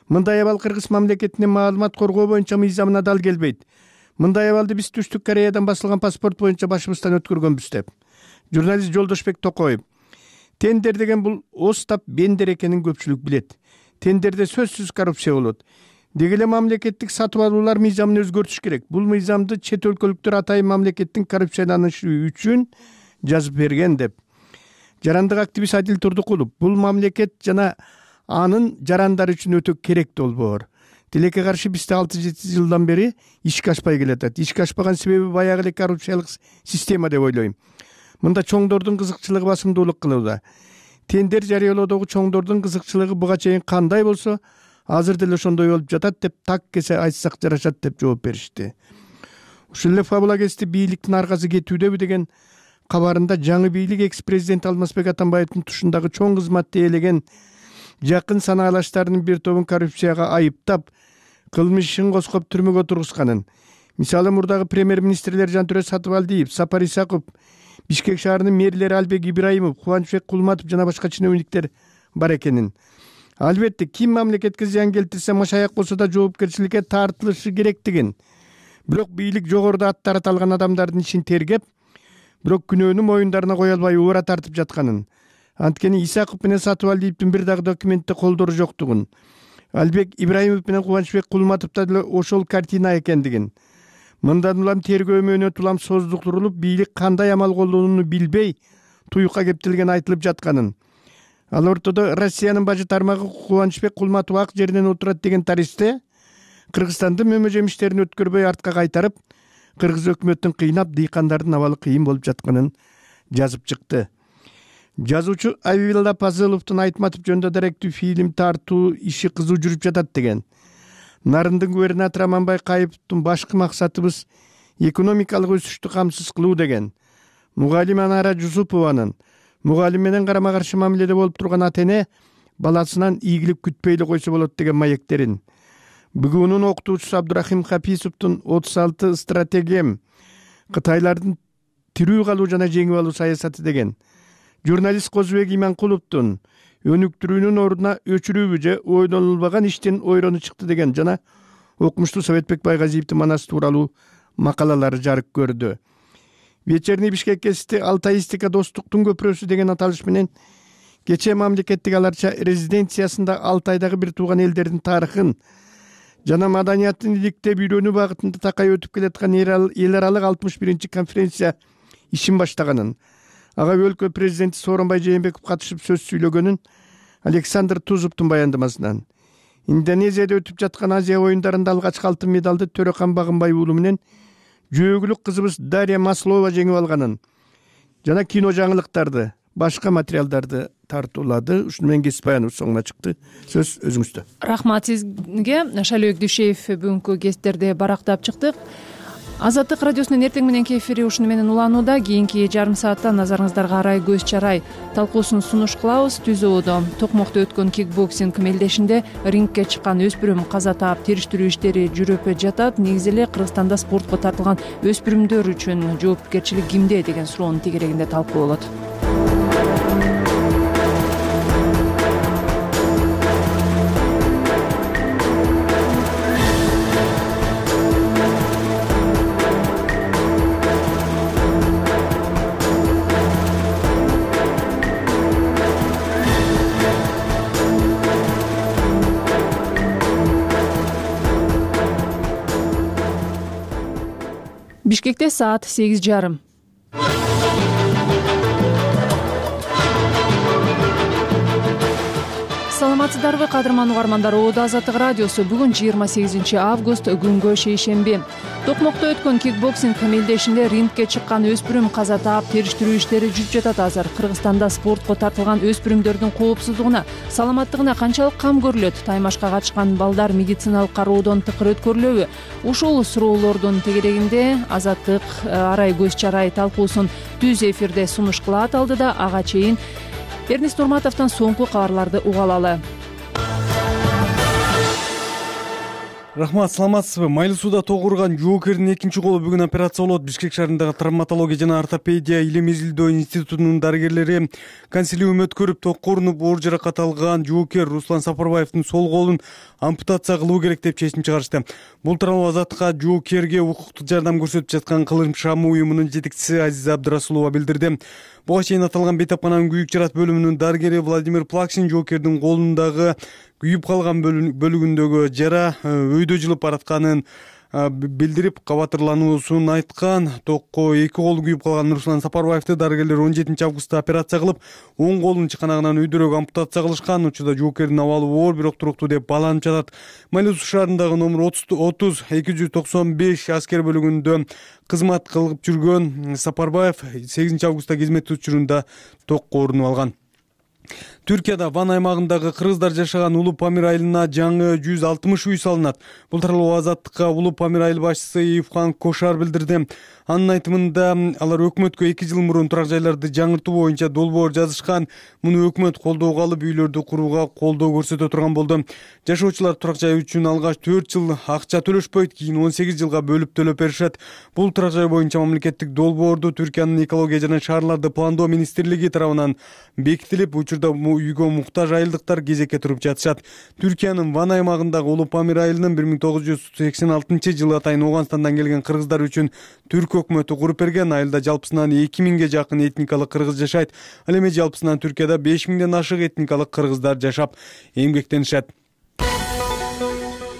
Мындай абал Кыргыз мамлекетинин маалымат коргоо боюнча мыйзамына дал келбейт. Мындай абалды биз Түштүк Кореядан басылган паспорт боюнча башыбыздан өткөргөнбүз деп. Журналист Жолдошбек Токоев: тендер деген бул Остап Бендер экенин көпчүлүк билет. Тендерде сөзсүз коррупция болот. Деги эле мамлекеттик сатып алуулар мыйзамын өзгөртүш керек. Бул мыйзамды чет өлкөлүктөр атайын мамлекеттин коррупцияланышы үчүн жазып берген деп. Жарандык активист Адил Турдукулов: бул мамлекет жана анын жарандары үчүн өтө керек долбоор. Тилекке каршы бизде алты жети жылдан бери ишке ашпай келатат. Ишке ашпаган себеби баягы эле коррупциялык система деп ойлойм. Мында чоңдордун кызыкчылыгы басымдуулук кылууда. Тендер жарыялоодогу чоңдордун кызыкчылыгы буга чейин кандай болсо, азыр деле ошондой болуп жатат деп так кесе айтсак жарашат деп жооп беришти. Ушул эле Фабула гезити бийликтин аркасы кетүүдөбү деген кабарында жаңы бийлик экс-президент Алмазбек Атамбаевдин тушундагы чоң кызматты ээлеген жакын санаалаштарынын бир тобун коррупцияга айыптап, кылмыш ишин козгоп түрмөгө тургузганын. Мисалы, мурдагы премьер-министрлер Жантүрө Сатыбалдиев, Сапар Исаков, Бишкек шаарынын мэрлери Албек Ибраимов, Кубанычбек Кулматов жана башка чиновниктер бар экенин. Албетте, ким мамлекетке зыян келтирсе, машаяк болсо да жоопкерчиликке тартылышы керектигин. Бирок бийлик жогоруда аттары аталган адамдардын ишин тергеп, бирок күнөөнү моюндарына кое албай уура тартып жатканын. Анткени Исаков менен Сатыбалдиевдин бир дагы документте колдору жоктугун, Албек Ибраимов менен Кубанычбек Кулматовдо деле ошол картина экендигин. Мындан улам тергөө мөөнөт улам создуктурулуп, бийлик кандай амал колдонууну билбей туюкка кептелген айтылып жатканын. Ал ортодо Россиянын бажы тармагы Кубанычбек Кулматов ак жеринен отурат деген таристе Кыргызстандын мөмө жемиштерин өткөрбөй артка кайтарып, кыргыз өкмөтүн кыйнап, дыйкандардын абалы кыйын болуп жатканын жазып чыкты. Жазуучу Авилла Пазыловдун Айтматов жөнүндө даректүү фильм тартуу иши кызуу жүрүп жатат деген. Нарындын губернатору Аманбай Кайыповдун башкы максатыбыз экономикалык өсүштү камсыз кылуу деген. Мугалим Анара Жусупованын мугалим менен карама каршы мамиледе болуп турган ата эне баласынан ийгилик күтпөй эле койсо болот деген маектерин. БГУнун окутуучусу Абдурахим Хаписовдун отуз алты стратегиям Кытайлардын тирүү калуу жана жеңип алуу саясаты деген. Журналист Козубек Иманкуловдун өнүктүрүүнүн ордуна өчүрүүбү же ойлонулбаган иштин ойрону чыкты деген жана окумуштуу Советбек Байгазиевдин манасы тууралуу макалалары жарык көрдү. Вечерний Бишкек гезити Алтайистика достуктун көпүрөсү деген аталыш менен кечээ мамлекеттик аларча резиденциясында Алтайдагы бир тууган элдердин тарыхын жана маданиятын иликтеп үйрөнүү багытында такай өтүп келаткан эл аралык алтымыш биринчи конференция ишин баштаганын, ага өлкө президенти Сооронбай Жээнбеков катышып сөз сүйлөгөнүн Александр Тузовдун баяндамасынан, Индонезияда өтүп жаткан Азия оюндарында алгачкы алтын медалды Төрөкан Багынбай уулу менен жөөгүлүк кызыбыз Дарья Маслова жеңип алганын жана кино жаңылыктарды, башка материалдарды тартуулады. Ушуну менен кесип баяныбыз соңуна чыкты. Сөз өзүңүздө. Рахмат сизге. Шалбек Дүйшеев бүгүнкү гезиттерди барактап чыктык. Азаттык радиосунун эртең мененки эфири ушуну менен уланууда. Кийинки жарым саатта назарыңыздарга арай көз чарай талкуусун сунуш кылабыз. Түзүүдө Токмокто өткөн кикбоксинг мелдешинде рингке чыккан өспүрүм каза таап териштирүү иштери жүрүп жатат. Негизи эле Кыргызстанда спортко тартылган өспүрүмдөр үчүн жоопкерчилик кимде деген суроонун тегерегинде талкуу болот. Бишкекте саат сегиз жарым. Саламатсыздарбы, кадырман угармандар? Оодо Азаттык радиосу. Бүгүн жыйырма сегизинчи август, күнгө шейшемби. Токмокто өткөн кикбоксинг мелдешинде рингке чыккан өспүрүм каза таап териштирүү иштери жүрүп жатат азыр. Кыргызстанда спортко тартылган өспүрүмдөрдүн коопсуздугуна, саламаттыгына канчалык кам көрүлөт? Таймашка катышкан балдар медициналык кароодон тыкыр өткөрүлөбү? Ушул суроолордун тегерегинде Азаттык арай көз чарай талкуусун түз эфирде сунуш кылат алдыда. Ага чейин Эрнест Нурматовдон соңку кабарларды уга алалы. Рахмат, саламатсызбы? Майлуу сууда тогурган жоокердин экинчи колу бүгүн операция болот. Бишкек шаарындагы травматология жана ортопедия илим изилдөө институтунун дарыгерлери консилиум өткөрүп, токкоорунуп оор жаракат алган жоокер Руслан Сапарбаевдин сол колун ампутация кылуу керек деп чечим чыгарышты. Бул тууралуу Азаттыкка жоокерге укуктук жардам көрсөтүп жаткан Кылым Шам уюмунун жетекчиси Азиза Абдырасулова билдирди. Буга чейин аталган бейтапкананын күйүк жарат бөлүмүнүн дарыгери Владимир Плаксин жоокердин колундагы күйүп калган бөлүгүндөгү жара өйдө жылып баратканын билдирип, кабатырлануусун айткан. Токко эки колу күйүп калган Руслан Сапарбаевди дарыгерлер он жетинчи августта операция кылып, оң колун чыканагынан өйдөрөөк ампутация кылышкан. Учурда жоокердин абалы оор, бирок туруктуу деп бааланып жатат. Майлуу суу шаарындагы номер отуз эки жүз токсон беш аскер бөлүгүндө кызмат кылып жүргөн Сапарбаев сегизинчи августта кызмет учурунда токкоорунуп алган. Түркияда Ван аймагындагы кыргыздар жашаган Улуу Памир айылына жаңы жүз алтымыш үй салынат. Бул тууралуу Азаттыкка Улуу Памир айыл башчысы Ивхан Кошар билдирди. Анын айтымында алар өкмөткө эки жыл мурун турак жайларды жаңыртуу боюнча долбоор жазышкан. Муну өкмөт колдоого алып, үйлөрдү курууга колдоо көрсөтө турган болду. Жашоочулар турак жай үчүн алгач төрт жыл акча төлөшпөйт, кийин он сегиз жылга бөлүп төлөп беришет. Бул турак жай боюнча мамлекеттик долбоорду Түркиянын экология жана шаарларды пландоо министрлиги тарабынан бекитилип, учурда үйгө муктаж айылдыктар кезекке туруп жатышат. Түркиянын Ван аймагындагы Улуу Памир айылынын бир миң тогуз жүз сексен алтынчы жылы атайын Ооганстандан келген кыргыздар үчүн түрк өкмөтү куруп берген. Айылда жалпысынан эки миңге жакын этникалык кыргыз жашайт. Ал эми жалпысынан Түркияда беш миңден ашык этникалык кыргыздар жашап эмгектенишет.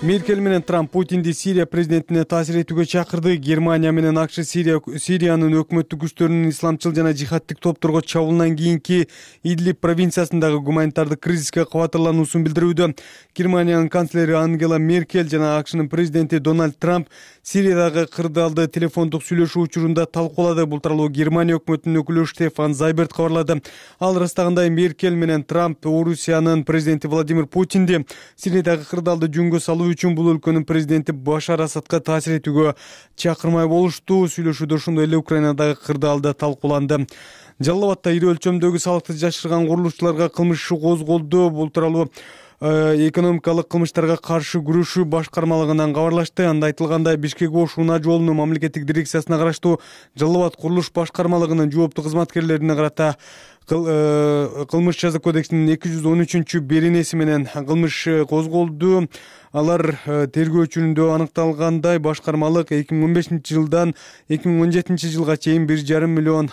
Меркель менен Трамп Путинди Сирия президентине таасир этүүгө чакырды. Германия менен АКШ Сирия Сириянын өкмөттүк күчтөрүнүн исламчыл жана жихадтык топторго чабуулунан кийинки Идлиб провинциясындагы гуманитардык кризиске кабатырлануусун билдирүүдө. Германиянын канцлери Ангела Меркель жана АКШнын президенти Дональд Трамп Сириядагы кырдаалды телефондук сүйлөшүү учурунда талкуулады. Бул тууралуу Германия өкмөтүнүн өкүлү Штефан Зайберт кабарлады. Ал ырастагандай Меркель менен Трамп Орусиянын президенти Владимир Путинди Сириядагы кырдаалды жөнгө салуу үчүн бул өлкөнүн президенти Башар Асадка таасир этүүгө чакырмай болушту. Сүйлөшүүдө ошондой эле Украинадагы кырдаалды талкууланды. Жалал Абадда ири өлчөмдөгү салыкты жашырган курулушчуларга кылмыш иши козголду. Бул тууралуу экономикалык кылмыштарга каршы күрөшүү башкармалыгынан кабарлашты. Анда айтылгандай, Бишкек-Ош унаа жолунун мамлекеттик дирекциясына караштуу Жалал Абад курулуш башкармалыгынын жооптуу кызматкерлерине карата кылмыш жаза кодексинин эки жүз он үчүнчү беренеси менен кылмыш козголду. Алар тергөөчүндө аныкталгандай, башкармалык эки миң он бешинчи жылдан эки миң он жетинчи жылга чейин бир жарым миллион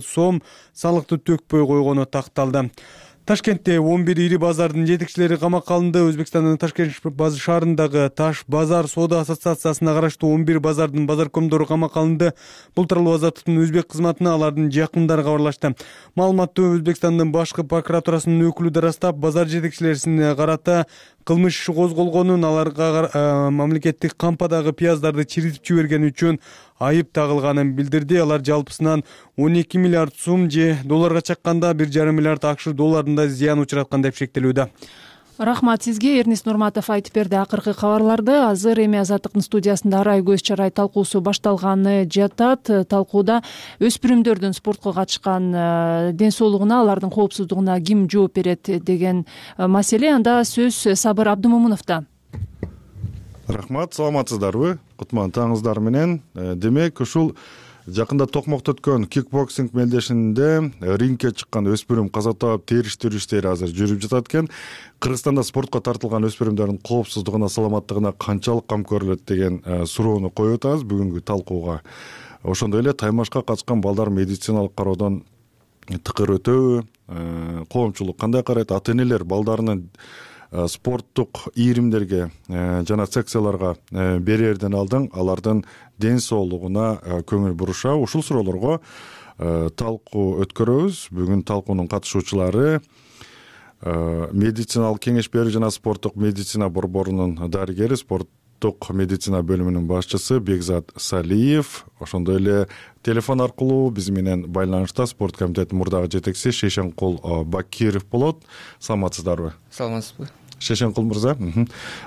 сом салыкты төкпөй койгону такталды. Ташкентте он бир ири базардын жетекчилери камакка алынды. Өзбекстандын Ташкент шаарындагы Таш базар соода ассоциациясына караштуу он бир базардын базаркомдору камакка алынды. Бул тууралуу Азаттыктын өзбек кызматына алардын жакындары кабарлашты. Маалыматты Өзбекстандын башкы прокуратурасынын өкүлү да ырастап, базар жетекчилерине карата кылмыш иши козголгонун, аларга мамлекеттик кампадагы пияздарды чиритип жибергени үчүн айып тагылганын билдирди. Алар жалпысынан он эки миллиард сум же долларга чакканда бир жарым миллиард АКШ долларында зыян учраткан деп шектелүүдө. Рахмат сизге. Эрнис Нурматов айтып берди акыркы кабарларды. Азыр эми Азаттыктын студиясында арай көз чарай талкуусу башталганы жатат. Талкууда өспүрүмдөрдүн спортко катышкан ден соолугуна, алардын коопсуздугуна ким жооп берет деген маселе. Анда сөз Сабыр Абдымомуновдо. Рахмат, саламатсыздарбы? Кутман таңыңыздар менен. Демек, ушул жакында Токмокто өткөн кикбоксинг мелдешинде рингке чыккан өспүрүм каза таап териштирүү иштери азыр жүрүп жатат экен. Кыргызстанда спортко тартылган өспүрүмдөрдүн коопсуздугуна, саламаттыгына канчалык кам көрүлөт деген суроону коюп атабыз бүгүнкү талкууга. Ошондой эле таймашка катышкан балдар медициналык кароодон тыкыр өтөбү, коомчулук кандай карайт, ата-энелер балдарынын спорттук ийримдерге жана секцияларга берерден алдын алардын ден соолугуна көңүл буруша. Ушул суроолорго талкуу өткөрөбүз. Бүгүн талкуунун катышуучулары медициналык кеңеш берүү жана спорттук медицина борборунун дарыгери, спорттук медицина бөлүмүнүн башчысы Бекзат Салиев, ошондой эле телефон аркылуу биз менен байланышта спорт комитетинин мурдагы жетекчиси Шейшенкул Бакиров болот. Саламатсыздарбы? Саламатсызбы? Шейшенкул мырза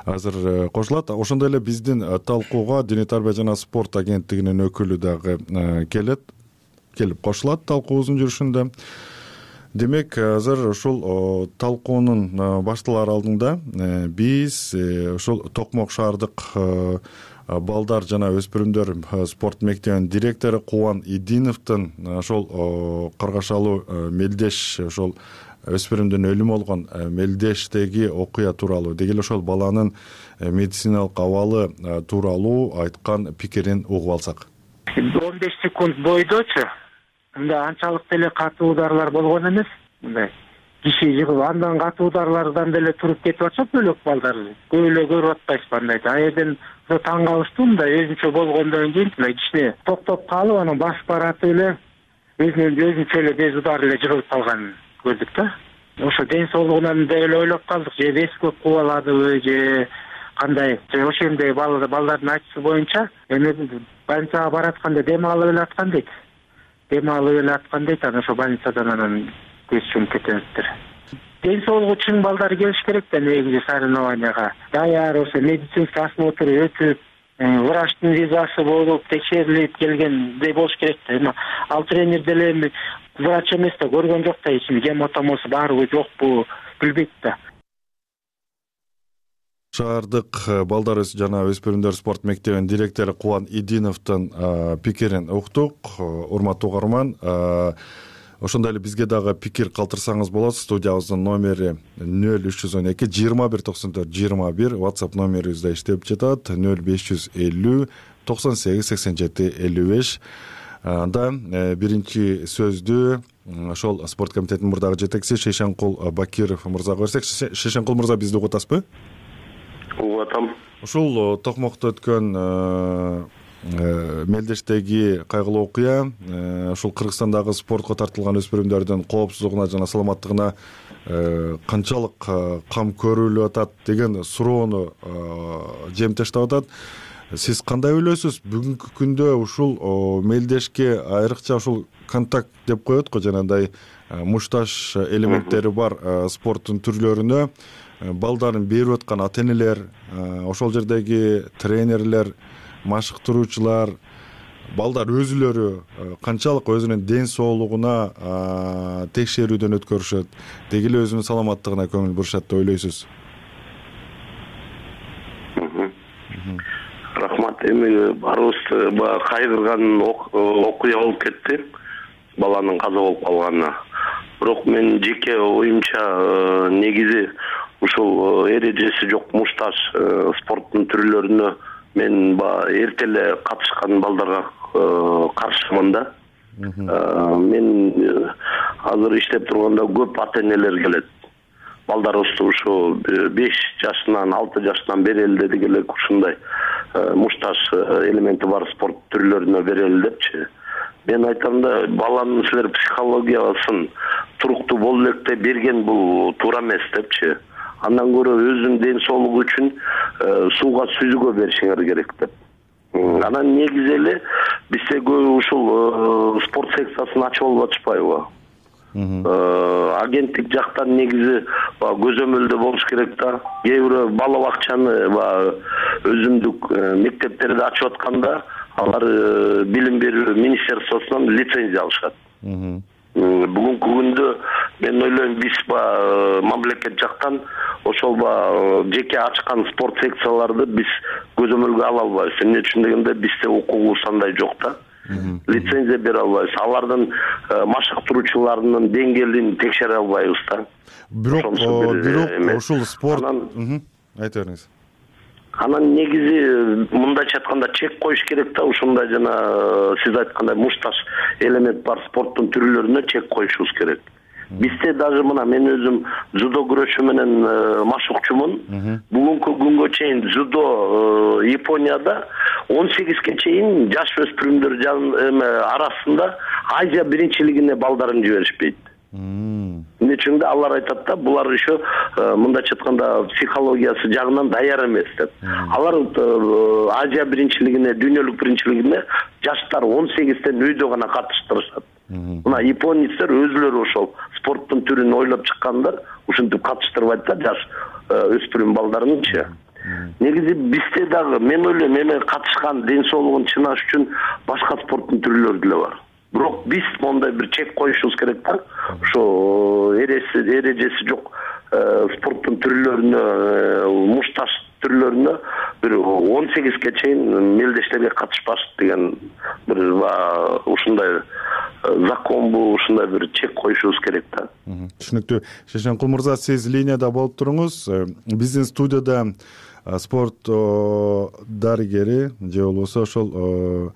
азыр кошулат. Ошондой эле биздин талкууга Дене тарбия жана спорт агенттигинин өкүлү дагы келет, келип кошулат талкуубуздун жүрүшүндө. Демек, азыр ушул талкуунун башталар алдында биз ушул Токмок шаардык балдар жана өспүрүмдөр спорт мектебинин директору Кубан Идиновдун ошол каргашалуу мелдеш, ошол өспүрүмдүн өлүмү болгон мелдештеги окуя тууралуу, деги эле ошол баланын медициналык абалы тууралуу айткан пикирин угуп алсак. он беш секунд бойдочу мындай анчалык деле катуу ударлар болгон эмес. Мындай киши жыгып, андан катуу ударлардан деле туруп кетип атышат бөлөк балдар. Көп эле көрүп атпайсызбы андай. А жерден таң калыштуу, мындай өзүнчө болгондон кийин мындай кичине токтоп калып, анан басып баратып эле өзүнүн өзүнчө эле без удар эле жыгылып калганын көрдүк да. Ошо ден соолугунан деле ойлоп калдык, же вес көп кубаладыбы, же кандай. Же ошондой балдардын айтышы боюнча эми больницага баратканда дем алып эле аткан дейт. Дем алып эле аткан дейт, анан ошо больницадан анан көз чумуп кетебиздир. Ден соолугу чың балдар келиш керек да негизи соревнованияга. Даяр ошо медицинский осмотр өтүп, врачтын визасы болуп, текшерилип келгендей болуш керек да. Эми ал тренер деле эми врач эмес да, көргөн жок да, ичинде гематомосу барбы жокпу билбейт да. Шаардык балдар жана өспүрүмдөр спорт мектебинин директору Кубан Идиновдун пикирин уктук. Урматтуу угарман, ошондой эле бизге дагы пикир калтырсаңыз болот. Студиябыздын номери нөл үч жүз он эки жыйырма бир токсон төрт жыйырма бир, WhatsApp номерибизде иштеп жатат нөл беш жүз элүү токсон сегиз сексен жети элүү беш. Анда биринчи сөздү ошол спорт комитетинин мурдагы жетекчиси Шейшенкул Бакиров мырзага берсек. Шейшенкул мырза, бизди угуп атасызбы? Угуп атам. Ушул Токмокто өткөн мелдештеги кайгылуу окуя ушул Кыргызстандагы спортко тартылган өспүрүмдөрдүн коопсуздугуна жана саламаттыгына канчалык кам көрүлүп атат деген суроону жемтештеп атат. Сиз кандай ойлойсуз? Бүгүнкү күндө ушул мелдешке айрыкча ушул контакт деп коет го, жанагындай мушташ элементтери бар спорттун түрлөрүнө балдарын берип аткан ата-энелер, ошол жердеги тренерлер, машыктыруучулар, балдар өзүлөрү канчалык өзүнүн ден соолугуна текшерүүдөн өткөрүшөт, деги эле өзүнүн саламаттыгына көңүл бурушат деп ойлойсуз? Рахмат. Эми барыбызды кайгырган окуя болуп кетти, баланын каза болуп калганына. Бирок мен жеке оюмча негизи ушул эрежеси жок мушташ спорттун түрлөрүнө мен эрте эле катышкан балдарга каршымын да. Мен азыр иштеп турганда көп ата-энелер келет. Балдарыбызды ушу беш жашынан алты жашынан берели деди элек, ушундай мушташ элементи бар спорт түрлөрүнө берели депчи. Мен айтам да, баланын силер психологиясын туруктуу болуу электе берген бул туура эмес депчи. Андан көрө өзүнүн ден соолугу үчүн сууга сүзүүгө беришиңер керек деп. Анан негизи эле бизде ушул спорт секциясын ачып алып атышпайбы? агенттик жактан негизи көзөмөлдө болуш керек да. Кээ бир бала бакчаны өзүмдүк мектептерди ачып атканда алар билим берүү министерствосунан лицензия алышат. Бүгүнкү күндө мен ойлойм биз мамлекет жактан ошол жеке ачкан спорт секцияларды биз көзөмөлгө ала албайбыз. Эмне үчүн дегенде бизде укугубуз андай жок да. Лицензия бере албайбыз. Алардын машыктыруучуларынын деңгээлин текшере албайбыз да. Бирок бирок ушул спорт айта бериңиз. Анан негизи мындайча айтканда чек коюш керек да. Ушундай жана сиз айткандай мушташ элемент бар спорттун түрлөрүнө чек коюшубуз керек. Бизде даже мына мен өзүм дзюдо күрөшү менен машыкчумун. Бүгүнкү күнгө чейин дзюдо Японияда он сегизге чейин жаш өспүрүмдөр арасында Азия биринчилигине балдарын жиберишпейт. Эмне үчүн да алар айтат да, булар еще мындайча айтканда психологиясы жагынан даяр эмес деп. Алар Азия биринчилигине, дүйнөлүк биринчилигине жаштар он сегизден үйдө гана катыштырышат. Мына японецтер өзүлөрү ошол спорттун түрүн ойлоп чыккандар, ушинтип катыштырбайт да жаш өспүрүм балдарынчы. Негизи бизде дагы мен ойлойм эме катышкан ден соолугун чынаш үчүн башка спорттун түрлөрү деле бар. Бирок биз мондай бир чек коюшубуз керек да. Ошо эреси эрежеси жок спорттун түрлөрүнө, мушташ түрлөрүнө бир он сегизге чейин мелдештерге катышпаш деген бир ушундай законбу, ушундай бир чек коюшубуз керек да. Түшүнүктүү. Шешенкул мырза, сиз линияда болуп туруңуз. Биздин студияда спорт дарыгери же болбосо ошол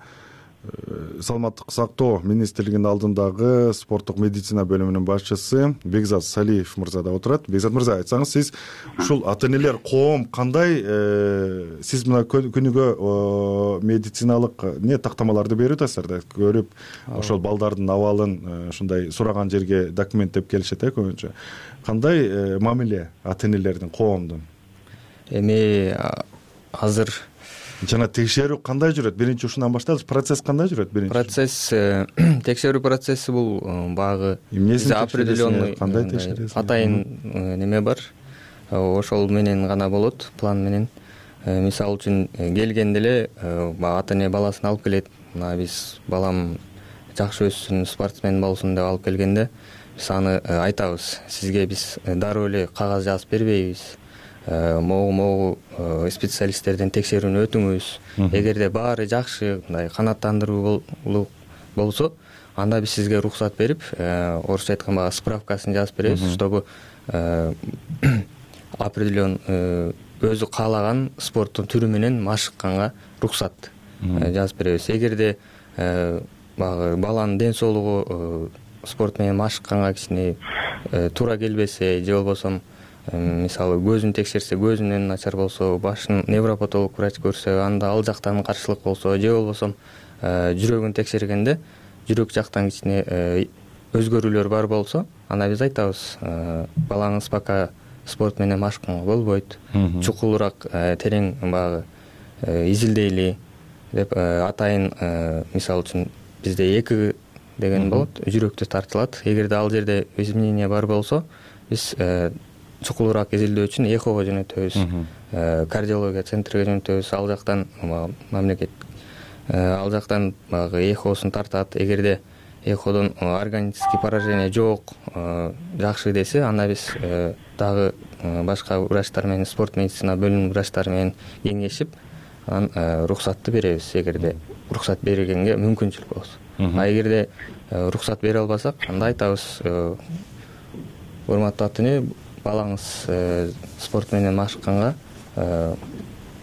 саламаттык сактоо министрлигинин алдындагы спорттук медицина бөлүмүнүн башчысы Бекзат Салиев мырза да отурат. Бекзат мырза, айтсаңыз, сиз ушул ата-энелер коом кандай, сиз мына күнүгө медициналык не тактамаларды берип атасыздар да, көрүп ошол балдардын абалын ушундай сураган жерге документтеп келишет э көбүнчө. Кандай мамиле ата-энелердин, коомдун? Эми азыр жана текшерүү кандай жүрөт? Биринчи ушундан баштайлычы. Процесс кандай жүрөт биринчи? Процесс, текшерүү процесси бул багы определенный кандай текшересиз? Атайын неме бар. Ошол менен гана болот, план менен. Мисалы үчүн келгенде эле ата-эне баласын алып келет. Мына биз балам жакшы өссүн, спортсмен болсун деп алып келгенде биз аны айтабыз. Сизге биз дароо эле кагаз жазып бербейбиз. Могу-могу специалисттерден текшерүүнү өтүңүз. Эгерде баары жакшы, мындай канааттандыруу болсо, анда биз сизге уруксат берип, орусча айтканда справкасын жазып беребиз, чтобы определен өзү каалаган спорттун түрү менен машыкканга уруксат жазып беребиз. Эгерде баягы баланын ден соолугу спорт менен машыкканга кичине туура келбесе, же болбосо мисалы көзүн текшерсе, көзүнөн начар болсо, башын невропатолог врач көрсө, анда ал жактан каршылык болсо, же болбосо жүрөгүн текшергенде жүрөк жактан кичине өзгөрүүлөр бар болсо, анда биз айтабыз, балаңыз пока спорт менен машыкканга болбойт, чукулураак терең баягы изилдейли деп атайын. Мисалы үчүн бизде эки деген болот, жүрөктө тартылат. Эгерде ал жерде изменение бар болсо, биз чукулураак изилдөө үчүн эхого жөнөтөбүз, кардиология центриге жөнөтөбүз. Ал жактан мамлекет ал жактан баягы эхосун тартат. Эгерде эходон органический поражение жок, жакшы десе, анда биз дагы башка врачтар менен, спорт медицина бөлүмүнүн врачтары менен кеңешип, анан уруксатты беребиз, эгерде уруксат бергенге мүмкүнчүлүк болсо. А эгерде уруксат бере албасак, анда айтабыз, урматтуу ата-эне, балаңыз спорт менен машыкканга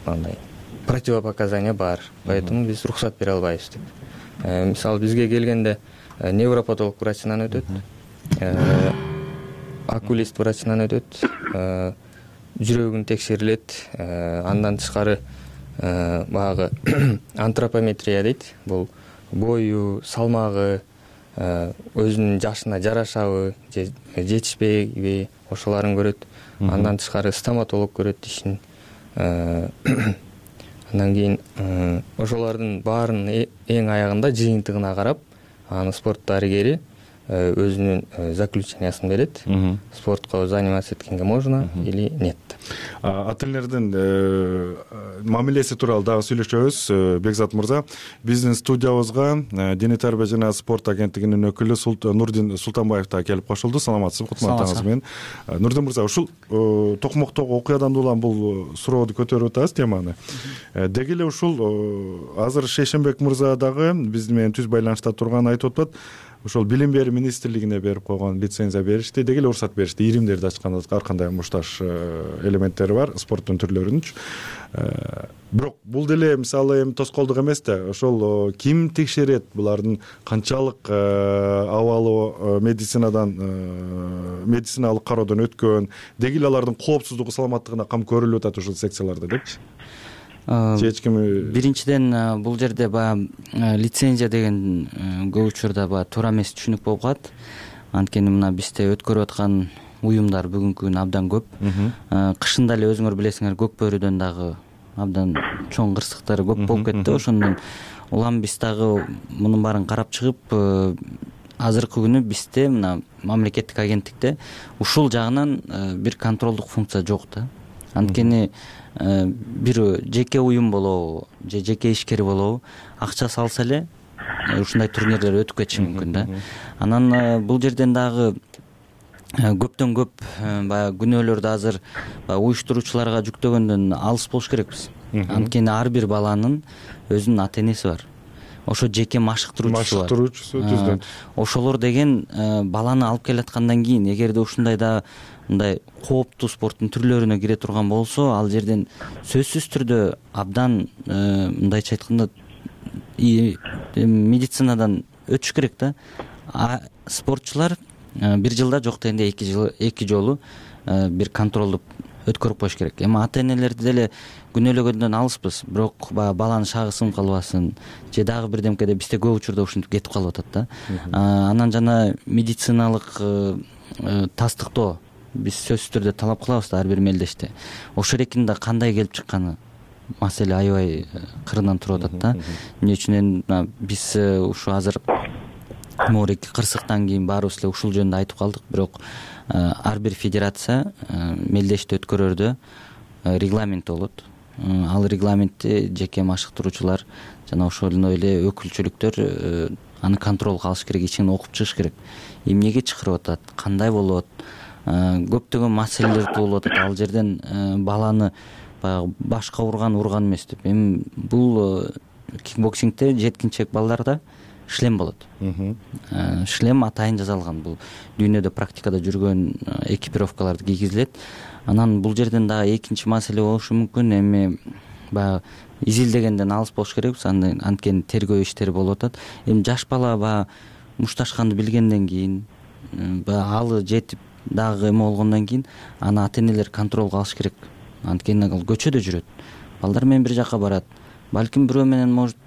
андай противопоказания бар, поэтому биз уруксат бере албайбыз деп. Мисалы бизге келгенде невропатолог врачынан өтөт, окулист врачынан өтөт, жүрөгүн текшерилет, андан тышкары баягы антропометрия дейт. Бул бою, салмагы, өзүнүн жашына жарашабы, же жетишпейби, ошолорун көрөт. Андан тышкары стоматолог көрөт дишин. Андан кийин ошолордун баарынын эң аягында жыйынтыгына карап, аны спорт дарыгери өзүнүн заключениясын берет. Спортко заниматься эткенге можно или нет. Ата-энелердин мамилеси тууралуу дагы сүйлөшөбүз. Бекзат мырза, биздин студиябызга Дене тарбия жана спорт агенттигинин өкүлү Нурдин Султанбаев да келип кошулду. Саламатсызбы? Кутман таңыңыз менен. Нурдин мырза, ушул токмоктогу окуядан улам бул сурооду көтөрүп атабыз, теманы. Деги эле ушул азыр Шейшенбек мырза дагы биз менен түз байланышта турганын айтып атат. Ошол билим берүү министрлигине берип койгон лицензия беришти, деги эле уруксат беришти. Иримдерди ачканда ар кандай мушташ элементтери бар спорттун түрлөрүнүнчү. Бирок бул деле мисалы эми тоскоолдук эмес да. Ошол ким текшерет булардын канчалык абалы медицинадан медициналык кароодон өткөн, деги эле алардын коопсуздугу, саламаттыгына кам көрүлүп атат ушул секцияларда депчи. Биринчиден бул жерде баягы лицензия деген көп учурда баягы туура эмес түшүнүк болуп калат. Анткени мына бизде өткөрүп аткан уюмдар бүгүнкү күнү абдан көп. Кышында эле өзүңөр билесиңер, көк бөрүдөн дагы абдан чоң кырсыктар көп болуп кетти. Ошондон улам биз дагы мунун баарын карап чыгып, азыркы күнү бизде мына мамлекеттик агенттикте ушул жагынан бир контролдук функция жок да. Анткени бир жеке уюм болобу же жеке ишкер болобу акча салса эле ушундай турнирлер өтүп кетиши мүмкүн да. Анан бул жерден дагы көптөн көп баягы күнөөлөрдү азыр уюштуруучуларга жүктөгөндөн алыс болуш керекпиз. Анткени ар бир баланын өзүнүн ата-энеси бар. Ошо жеке машыктыруучусу бар. Машыктыруучусу түздөн. Ошолор деген баланы алып келаткандан кийин, эгерде ушундай да мындай кооптуу спорттун түрлөрүнө кире турган болсо, ал жерден сөзсүз түрдө абдан мындайча айтканда медицинадан өтүш керек да. Спортчулар бир жылда жок дегенде эки жыл эки жолу бир контролду өткөрүп коюш керек. Эми ата-энелерди деле күнөөлөгөндөн алыспыз, бирок баягы баланын шагы сынып калбасын же дагы бирдемкеде бизде көп учурда ушинтип кетип калып атат да. Анан жана медициналык тастыктоо биз сөзсүз түрдө талап кылабыз да ар бир мелдеште. Ошол эркин да кандай келип чыкканы маселе аябай кырынан туруп атат да. Эмне үчүн биз ушу азыр могу эки кырсыктан кийин баарыбыз эле ушул жөнүндө айтып калдык, бирок ар бир федерация мелдешти өткөрөрдө регламент болот. Ал регламентти жеке машыктыруучулар жана ошондой эле өкүлчүлүктөр аны контролго алыш керек, ичинен окуп чыгыш керек. Эмнеге чакырып атат, кандай болот, көптөгөн маселелер туулуп атат. Ал жерден баланы баягы башка урган урган эмес деп. Эми бул кикбоксингде жеткинчек балдарда шлем болот. Шлем атайын жасалган. Бул дүйнөдө практикада жүргөн экипировкаларды кийгизилет. Анан бул жерден дагы экинчи маселе болушу мүмкүн. Эми баягы изилдегенден алыс болуш керекпиз. Анткени тергөө иштери болуп атат. Эми жаш бала баягы мушташканды билгенден кийин, баягы алы жетип дагы эме болгондон кийин аны ата-энелер контролго алыш керек. Анткени ал көчөдө жүрөт. Балдар менен бир жака барат. Балким бирөө менен может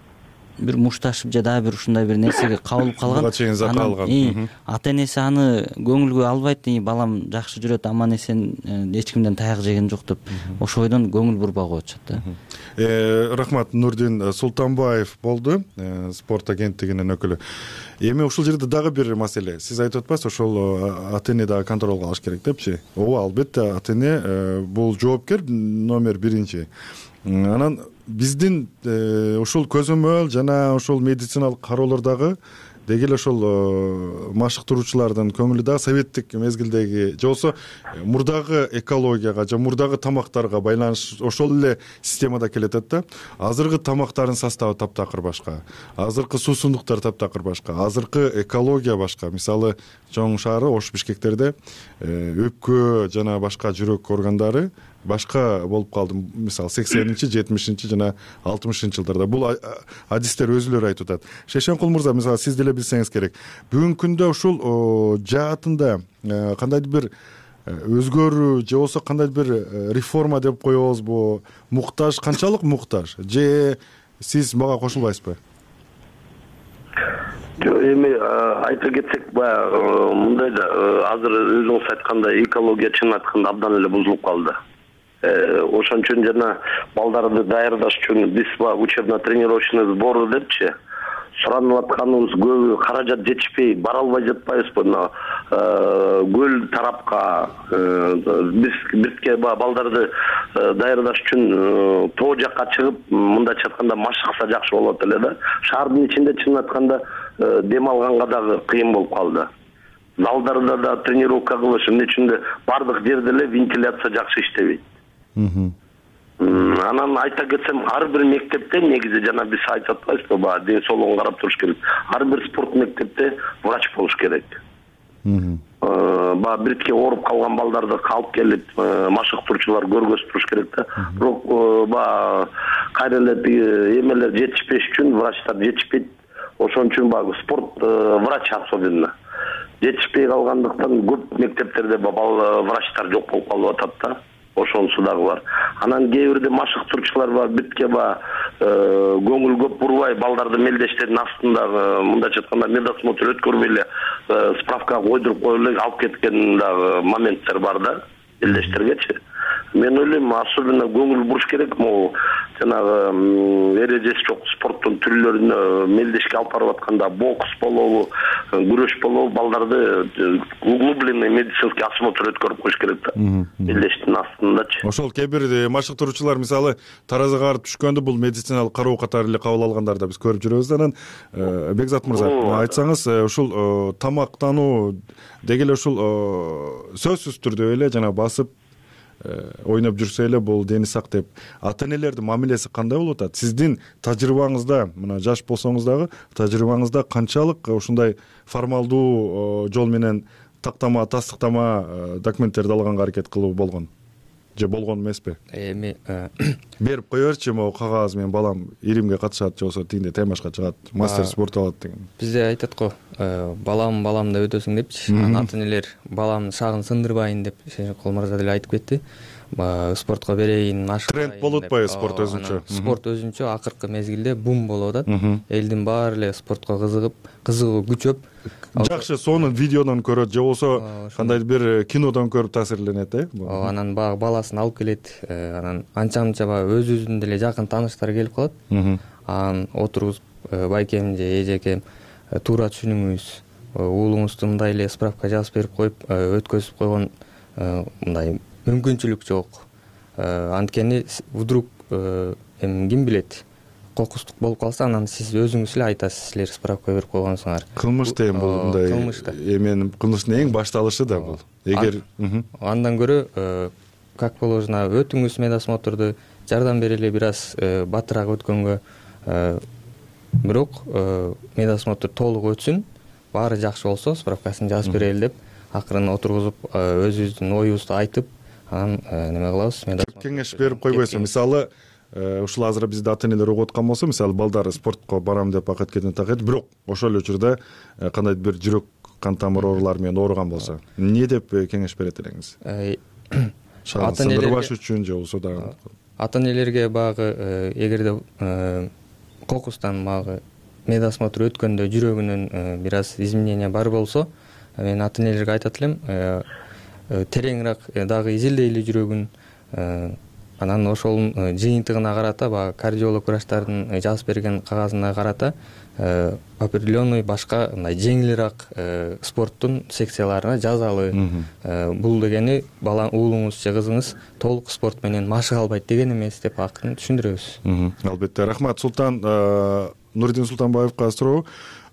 бир мушташып же дагы бир ушундай бир нерсеге кабылып калган. Буга чейин зат алган. Ата-энеси аны көңүлгө албайт, балам жакшы жүрөт, аман эсен, эч кимден таяк жеген жок деп ошо ойдон көңүл бурбай коюшат да. Рахмат, Нурдин Султанбаев болду, спорт агенттигинин өкүлү. Эми ушул жерде дагы бир маселе. Сиз айтып атпайсызбы, ошол ата-эне дагы контролго алыш керек депчи? Ооба, албетте ата-эне бул жоопкер номер биринчи. Анан биздин ушул көзөмөл жана ушул медициналык кароолордогу деги эле ошол машыктыруучулардын көңүлү дагы советтик мезгилдеги же болбосо мурдагы экологияга же мурдагы тамактарга байланыш ошол эле системада келатат да. Азыркы тамактардын составы таптакыр башка, азыркы суусундуктар таптакыр башка, азыркы экология башка. Мисалы чоң шаары Ош, Бишкектерде өпкө жана башка жүрөк органдары башка болуп калды. Мисалы сексенинчи, жетимишинчи жана алтымышынчы жылдарда бул адистер өзүлөрү айтып атат. Шейшенкул мырза, мисалы сиз деле билсеңиз керек. Бүгүнкү күндө ушул жаатында кандайдыр бир өзгөрүү же болбосо кандайдыр бир реформа деп коебузбу? Муктаж, канчалык муктаж? Же сиз мага кошулбайсызбы? Эми айта кетсек, баягы мындай да азыр өзүңүз айткандай экология чын айтканда абдан эле бузулуп калды. Ошон үчүн жана балдарды даярдаш үчүн биз учебно-тренировочный сбор депчи, суранып атканыбыз көбү каражат жетишпей бара албай жатпайбызбы мына көл тарапка биз бирке балдарды даярдаш үчүн тоо жакка чыгып мындайча айтканда машыкса жакшы болот эле да. Шаардын ичинде чынын айтканда дем алганга дагы кыйын болуп калды. Залдарда да тренировка кылыш эмне үчүн бардык жерде эле вентиляция жакшы иштебейт. Анан айта кетсем, ар бир мектепте негизи жана биз айтып атпайбызбы, баягы ден соолугун карап туруш керек. Ар бир спорт мектепте врач болуш керек. Баягы бирке ооруп калган балдарды алып келип машыктыруучулар көргөзүп туруш керек да. Бирок баягы кайра эле эмелер жетишпеш үчүн врачтар жетишпейт. Ошон үчүн баягы спорт врач особенно жетишпей калгандыктан көп мектептерде врачтар жок болуп калып атат да. Ошонусу дагы бар. Анан кээ бирде машыктыруучулар бар, битке баягы көңүл көп бурбай балдарды мелдештердин астындагы мындайча айтканда медосмотр өткөрбөй эле справка койдуруп коюп эле алып кеткен дагы моменттер бар да, мелдештергечи. Мен ойлойм, особенно көңүл буруш керек, могу жанагы эрежеси жок спорттун түрлөрүнө мелдешке алып барып атканда бокс болобу, күрөш болобу, балдарды углубленный медицинский осмотр өткөрүп коюш керек да. Мелдештин астындачы. Ошол кээ бир машыктыруучулар мисалы таразага барып түшкөндө бул медициналык кароо катары эле кабыл алгандарды биз көрүп жүрөбүз. Анан Бекзат мырза, айтсаңыз, ушул тамактануу деги эле ушул сөзсүз түрдө эле жана басып ойноп жүрсө эле бул дени сак деп ата-энелердин мамилеси кандай болуп атат? Сиздин тажрыйбаңызда, мына жаш болсоңуз дагы тажрыйбаңызда канчалык ушундай формалдуу жол менен тактама, тастыктама документтерди алганга аракет кылуу болгон? Же болгон эмеспи? Эми берип кое берчи, могу кагаз менен балам иримге катышат, же болбосо тигинде темашка чыгат, мастер спорт алат деген. Бизде айтат го, балам балам деп өтөсүң депчи. Анан ата-энелер баламдын шагын сындырбайын деп Шенжикул мырза деле айтып кетти. Спортко берейин, машыктайын. Тренд болуп атпайбы спорт өзүнчө? Спорт өзүнчө акыркы мезгилде бум болуп атат. Элдин баары эле спортко кызыгып, кызыгуу күчөп, жакшы сону видеодон көрөт же болбосо кандайдыр бир кинодон көрүп таасирленет, э? Анан баягы баласын алып келет, анан анча-мынча баягы өзүбүздүн деле жакын тааныштар келип калат. Анан отургузуп, байкем же эжекем, туура түшүнүңүз, уулуңузду мындай эле справка жазып берип коюп, өткөзүп койгон мындай мүмкүнчүлүк жок. Анткени вдруг эми ким билет, кокустук болуп калса, анан сиз өзүңүз эле айтасыз, силер справка берип койгонсуңар. Кылмыш деген бул мындай эменин кылмыштын эң башталышы да бул. Эгер андан көрө как положено өтүңүз медосмотрду, жардам берели бир аз батыраак өткөнгө. Бирок медосмотр толук өтсүн, баары жакшы болсо справкасын жазып берели деп акырын отургузуп өзүбүздүн оюбузду айтып, анан неме кылабыз. Кеңеш берип койбойсузбу? Мисалы ушул азыр бизде ата-энелер угуп аткан болсо, мисалы балдар спортко барам деп акеткени такет, бирок ошол эле учурда кандайдыр бир жүрөк кан тамыр оорулары менен ооруган болсо, эмне деп кеңеш берет элеңиз? Шагын сындырбаш үчүн же болбосо дагы ата-энелерге баягы эгерде кокустан баягы медосмотр өткөндө жүрөгүнүн бир аз изменения бар болсо, мен ата-энелерге айтат элем, тереңирээк дагы изилдейли жүрөгүн. Анан ошол жыйынтыгына карата, баягы кардиолог врачтардын жазып берген кагазына карата определенный башка мындай жеңилирээк спорттун секцияларына жазалы. Бул дегени бала уулуңуз же кызыңыз толук спорт менен машыга албайт деген эмес деп акырын түшүндүрөбүз. Албетте, рахмат. Султан Нуридин Султанбаевга суроо.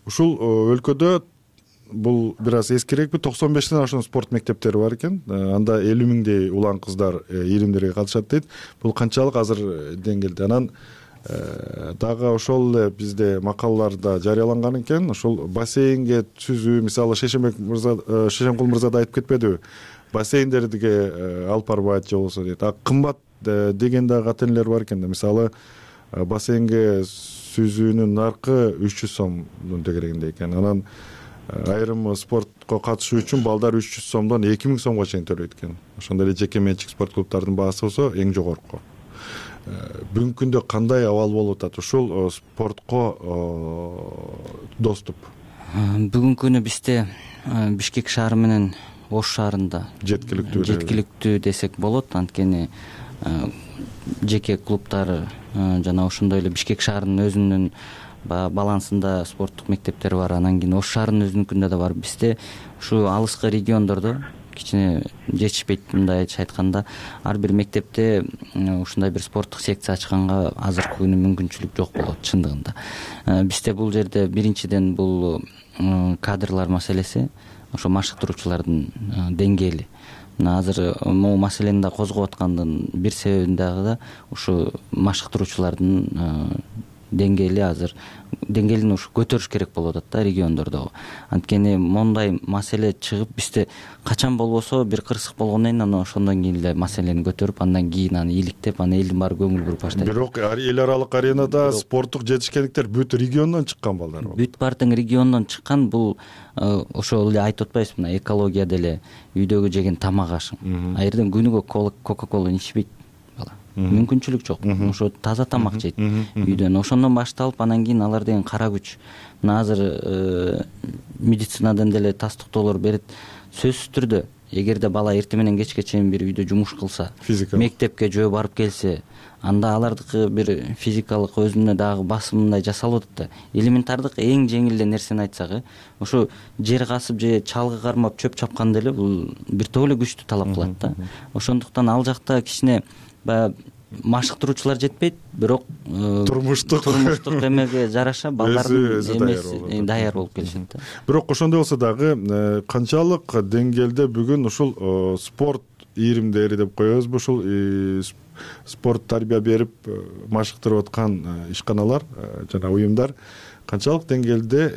Ушул өлкөдө бул бир аз эскирекпи, токсон бештен ашуун спорт мектептери бар экен. Анда элүү миңдей улан кыздар иримдерге катышат дейт. Бул канчалык азыр деңгээлде? Анан дагы ошол эле бизде макалаларда жарыяланган экен, ошол бассейнге түзүү, мисалы Шешенбек мырза, Шешенкул мырза да айтып кетпедиби? Бассейндерге алып барбайт же болсо дейт. А кымбат деген дагы ата-энелер бар экен да. Мисалы бассейнге сүзүүнүн наркы үч жүз сомдун тегерегинде экен. Анан айрым спортко катышуу үчүн балдар үч жүз сомдон эки миң сомго чейин төлөйт экен. Ошондой эле жеке менчик спорт клубдардын баасы болсо эң жогорку. Бүгүнкү күндө кандай абал болуп атат ушул спортко доступ? Бүгүнкү күнү бизде Бишкек шаары менен Ош шаарында жеткиликтүү жеткиликтүү десек болот. Анткени жеке клубдары жана ошондой эле Бишкек шаарынын өзүнүн баягы балансында спорттук мектептер бар. Анан кийин Ош шаарынын өзүнүкүндө да бар. Бизде ушу алыскы региондордо кичине жетишпейт. Мындай айтканда ар бир мектепте ушундай бир спорттук секция ачканга азыркы күнү мүмкүнчүлүк жок болот чындыгында. Бизде бул жерде биринчиден бул кадрлар маселеси, ошо машыктыруучулардын деңгээли. Мына азыр могу маселени да козгоп аткандын бир себебин дагы да ушу машыктыруучулардын деңгээли азыр деңгээлин ушу көтөрүш керек болуп атат да региондордогу. Анткени мондай маселе чыгып бизде качан болбосо бир кырсык болгондон кийин анан ошондон кийин эле маселени көтөрүп андан кийин аны иликтеп анан элдин баары көңүл буруп баштайт. Бирок эл аралык аренада спорттук жетишкендиктер бүт региондон чыккан балдар болот. Бүт баардыгы региондон чыккан. Бул ошол эле айтып атпайбызбы, мына экология деле үйдөгү жеген тамак ашың. А жерден күнүгө кока-кола ичпейт бала. Мүмкүнчүлүк жок. Ошо таза тамак жейт үйдөн. Ошондон башталып анан кийин алар деген кара күч. Мына азыр медицинадан деле тастыктоолор берет. Сөзсүз түрдө эгерде бала эртең менен кечке чейин бир үйдө жумуш кылса, мектепке жөө барып келсе, анда алардыкы бир физикалык өзүнө дагы басымындай жасалып атат да. Элементардык эң жеңил эле нерсени айтсак, ошо жер касып же чалгы кармап чөп чапкан деле бул бир топ эле күчтү талап кылат да. Ошондуктан ал жакта кичине баягы машыктыруучулар жетпейт, бирок турмуштук турмуштук эмеге жараша балдардын эмеси даяр болуп келишет да. Бирок ошондой болсо дагы канчалык деңгээлде бүгүн ушул спорт ийримдери деп коебузбу, ушул спорт тарбия берип машыктырып аткан ишканалар жана уюмдар канчалык деңгээлде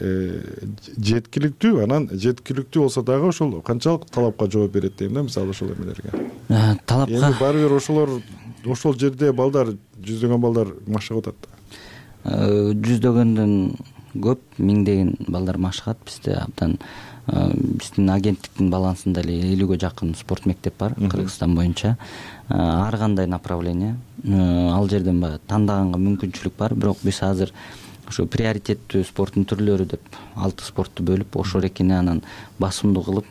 жеткиликтүү, анан жеткиликтүү болсо дагы ошол канчалык талапка жооп берет дейм да, мисалы ошол эмелерге. Талапка эми баары бир ошолор ошол жерде балдар, жүздөгөн балдар машыгып атат да. Жүздөгөндөн көп, миңдеген балдар машыгат. Бизде абдан биздин агенттиктин балансында эле элүүгө жакын спорт мектеп бар Кыргызстан боюнча. Ар кандай направление. Ал жерден баягы тандаганга мүмкүнчүлүк бар, бирок биз азыр ошо приоритеттүү спорттун түрлөрү деп алты спортту бөлүп, ошол экени анан басымдуу кылып,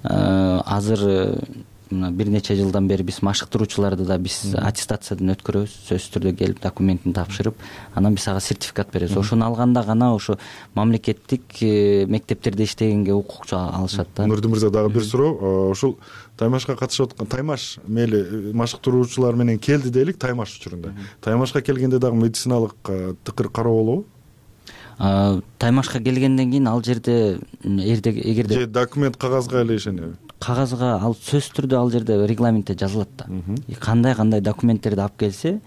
азыр бир нече жылдан бери биз машыктыруучуларды да биз аттестациядан өткөрөбүз. Сөзсүз түрдө келип документин тапшырып, анан биз ага сертификат беребиз. Ошону алганда гана ошо мамлекеттик мектептерде иштегенге укук алышат да. Нурдин мырза, дагы бир суроо. Ушул Таймашка катышып аткан Таймаш мейли машыктыруучулар менен келди дейлик Таймаш учурунда. Таймашка келгенде дагы медициналык тыкыр кароо болобу? Таймашка келгенден кийин ал жерде эгерде же документ кагазга эле ишенеби? Кагазга ал сөзсүз түрдө ал жерде регламентте жазылат да. Кандай кандай документтерди алып келсе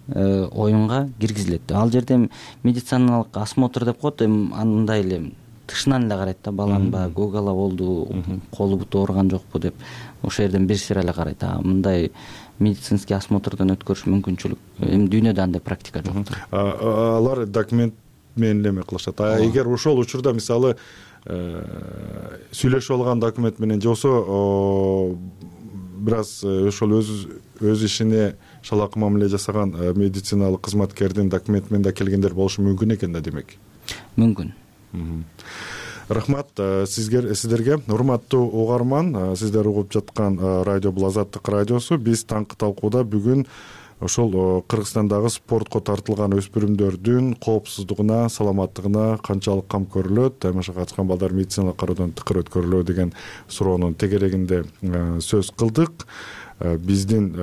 оюнга киргизилет. Ал жерде медициналык осмотр деп коет, андай эле тышынан эле карайт да, баланын баягы гогала болду, колу буту ооруган жокпу деп ошол жерден бир сыйра эле карайт. Мындай медицинский осмотрдон өткөрүш мүмкүнчүлүк эми дүйнөдө андай практика жок. Алар документ менен эме кылышат. А эгер ошол учурда мисалы сүйлөшүп алган документ менен же болсо бир аз ошол өз өз ишине шалакы мамиле жасаган медициналык кызматкердин документи менен да келгендер болушу мүмкүн экен да, демек. Мүмкүн. Рахмат сизге, сиздерге. Урматтуу угарман, сиздер угуп жаткан радио бул Азаттык радиосу. Биз таңкы талкууда бүгүн ошол Кыргызстандагы спортко тартылган өспүрүмдөрдүн коопсуздугуна, саламаттыгына канчалык кам көрүлөт, Таймашка катышкан балдар медициналык кароодон тыкыр өткөрүлөбү деген суроонун тегерегинде сөз кылдык. Биздин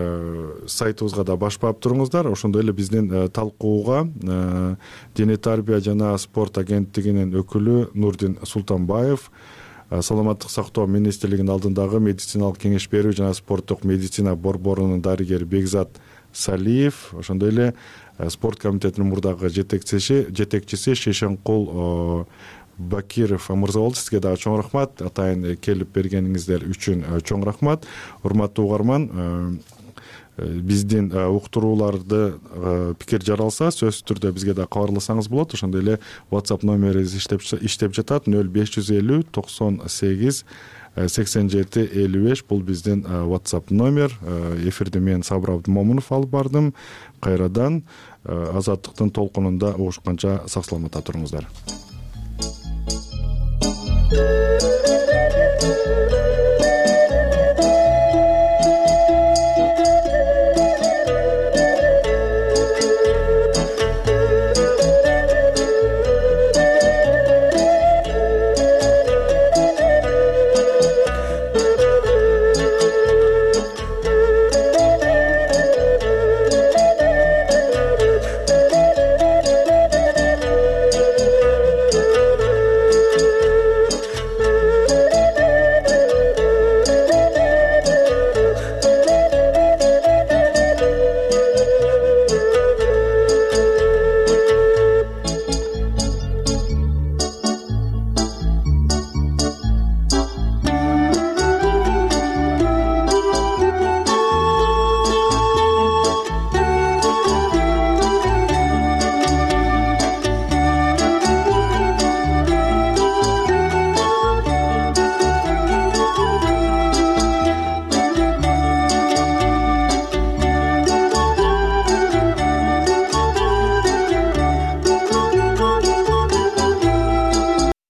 сайтыбызга да баш баап туруңуздар. Ошондой эле биздин талкууга Дене тарбия жана спорт агенттигинин өкүлү Нурдин Султанбаев, Саламаттык сактоо министрлигинин алдындагы медициналык кеңеш берүү жана спорттук медицина борборунун дарыгери Бекзат Салиев, ошондой эле спорт комитетинин мурдагы жетекчиси жетекчиси Шешенкул Бакиров мырза болду. Сизге дагы чоң рахмат. Атайын келип бергениңиздер үчүн чоң рахмат. Урматтуу угарман, биздин уктурууларды пикир жаралса, сөзсүз түрдө бизге да кабарласаңыз болот. Ошондой эле WhatsApp номерибиз иштеп иштеп жатат. нөл беш жүз элүү токсон сегиз сексен жети элүү беш. Бул биздин WhatsApp номер. Эфирди мен Сабыр Абдымомунов алып бардым. Кайрадан Азаттыктын толкунунда угушканча сак саламатта туруңуздар.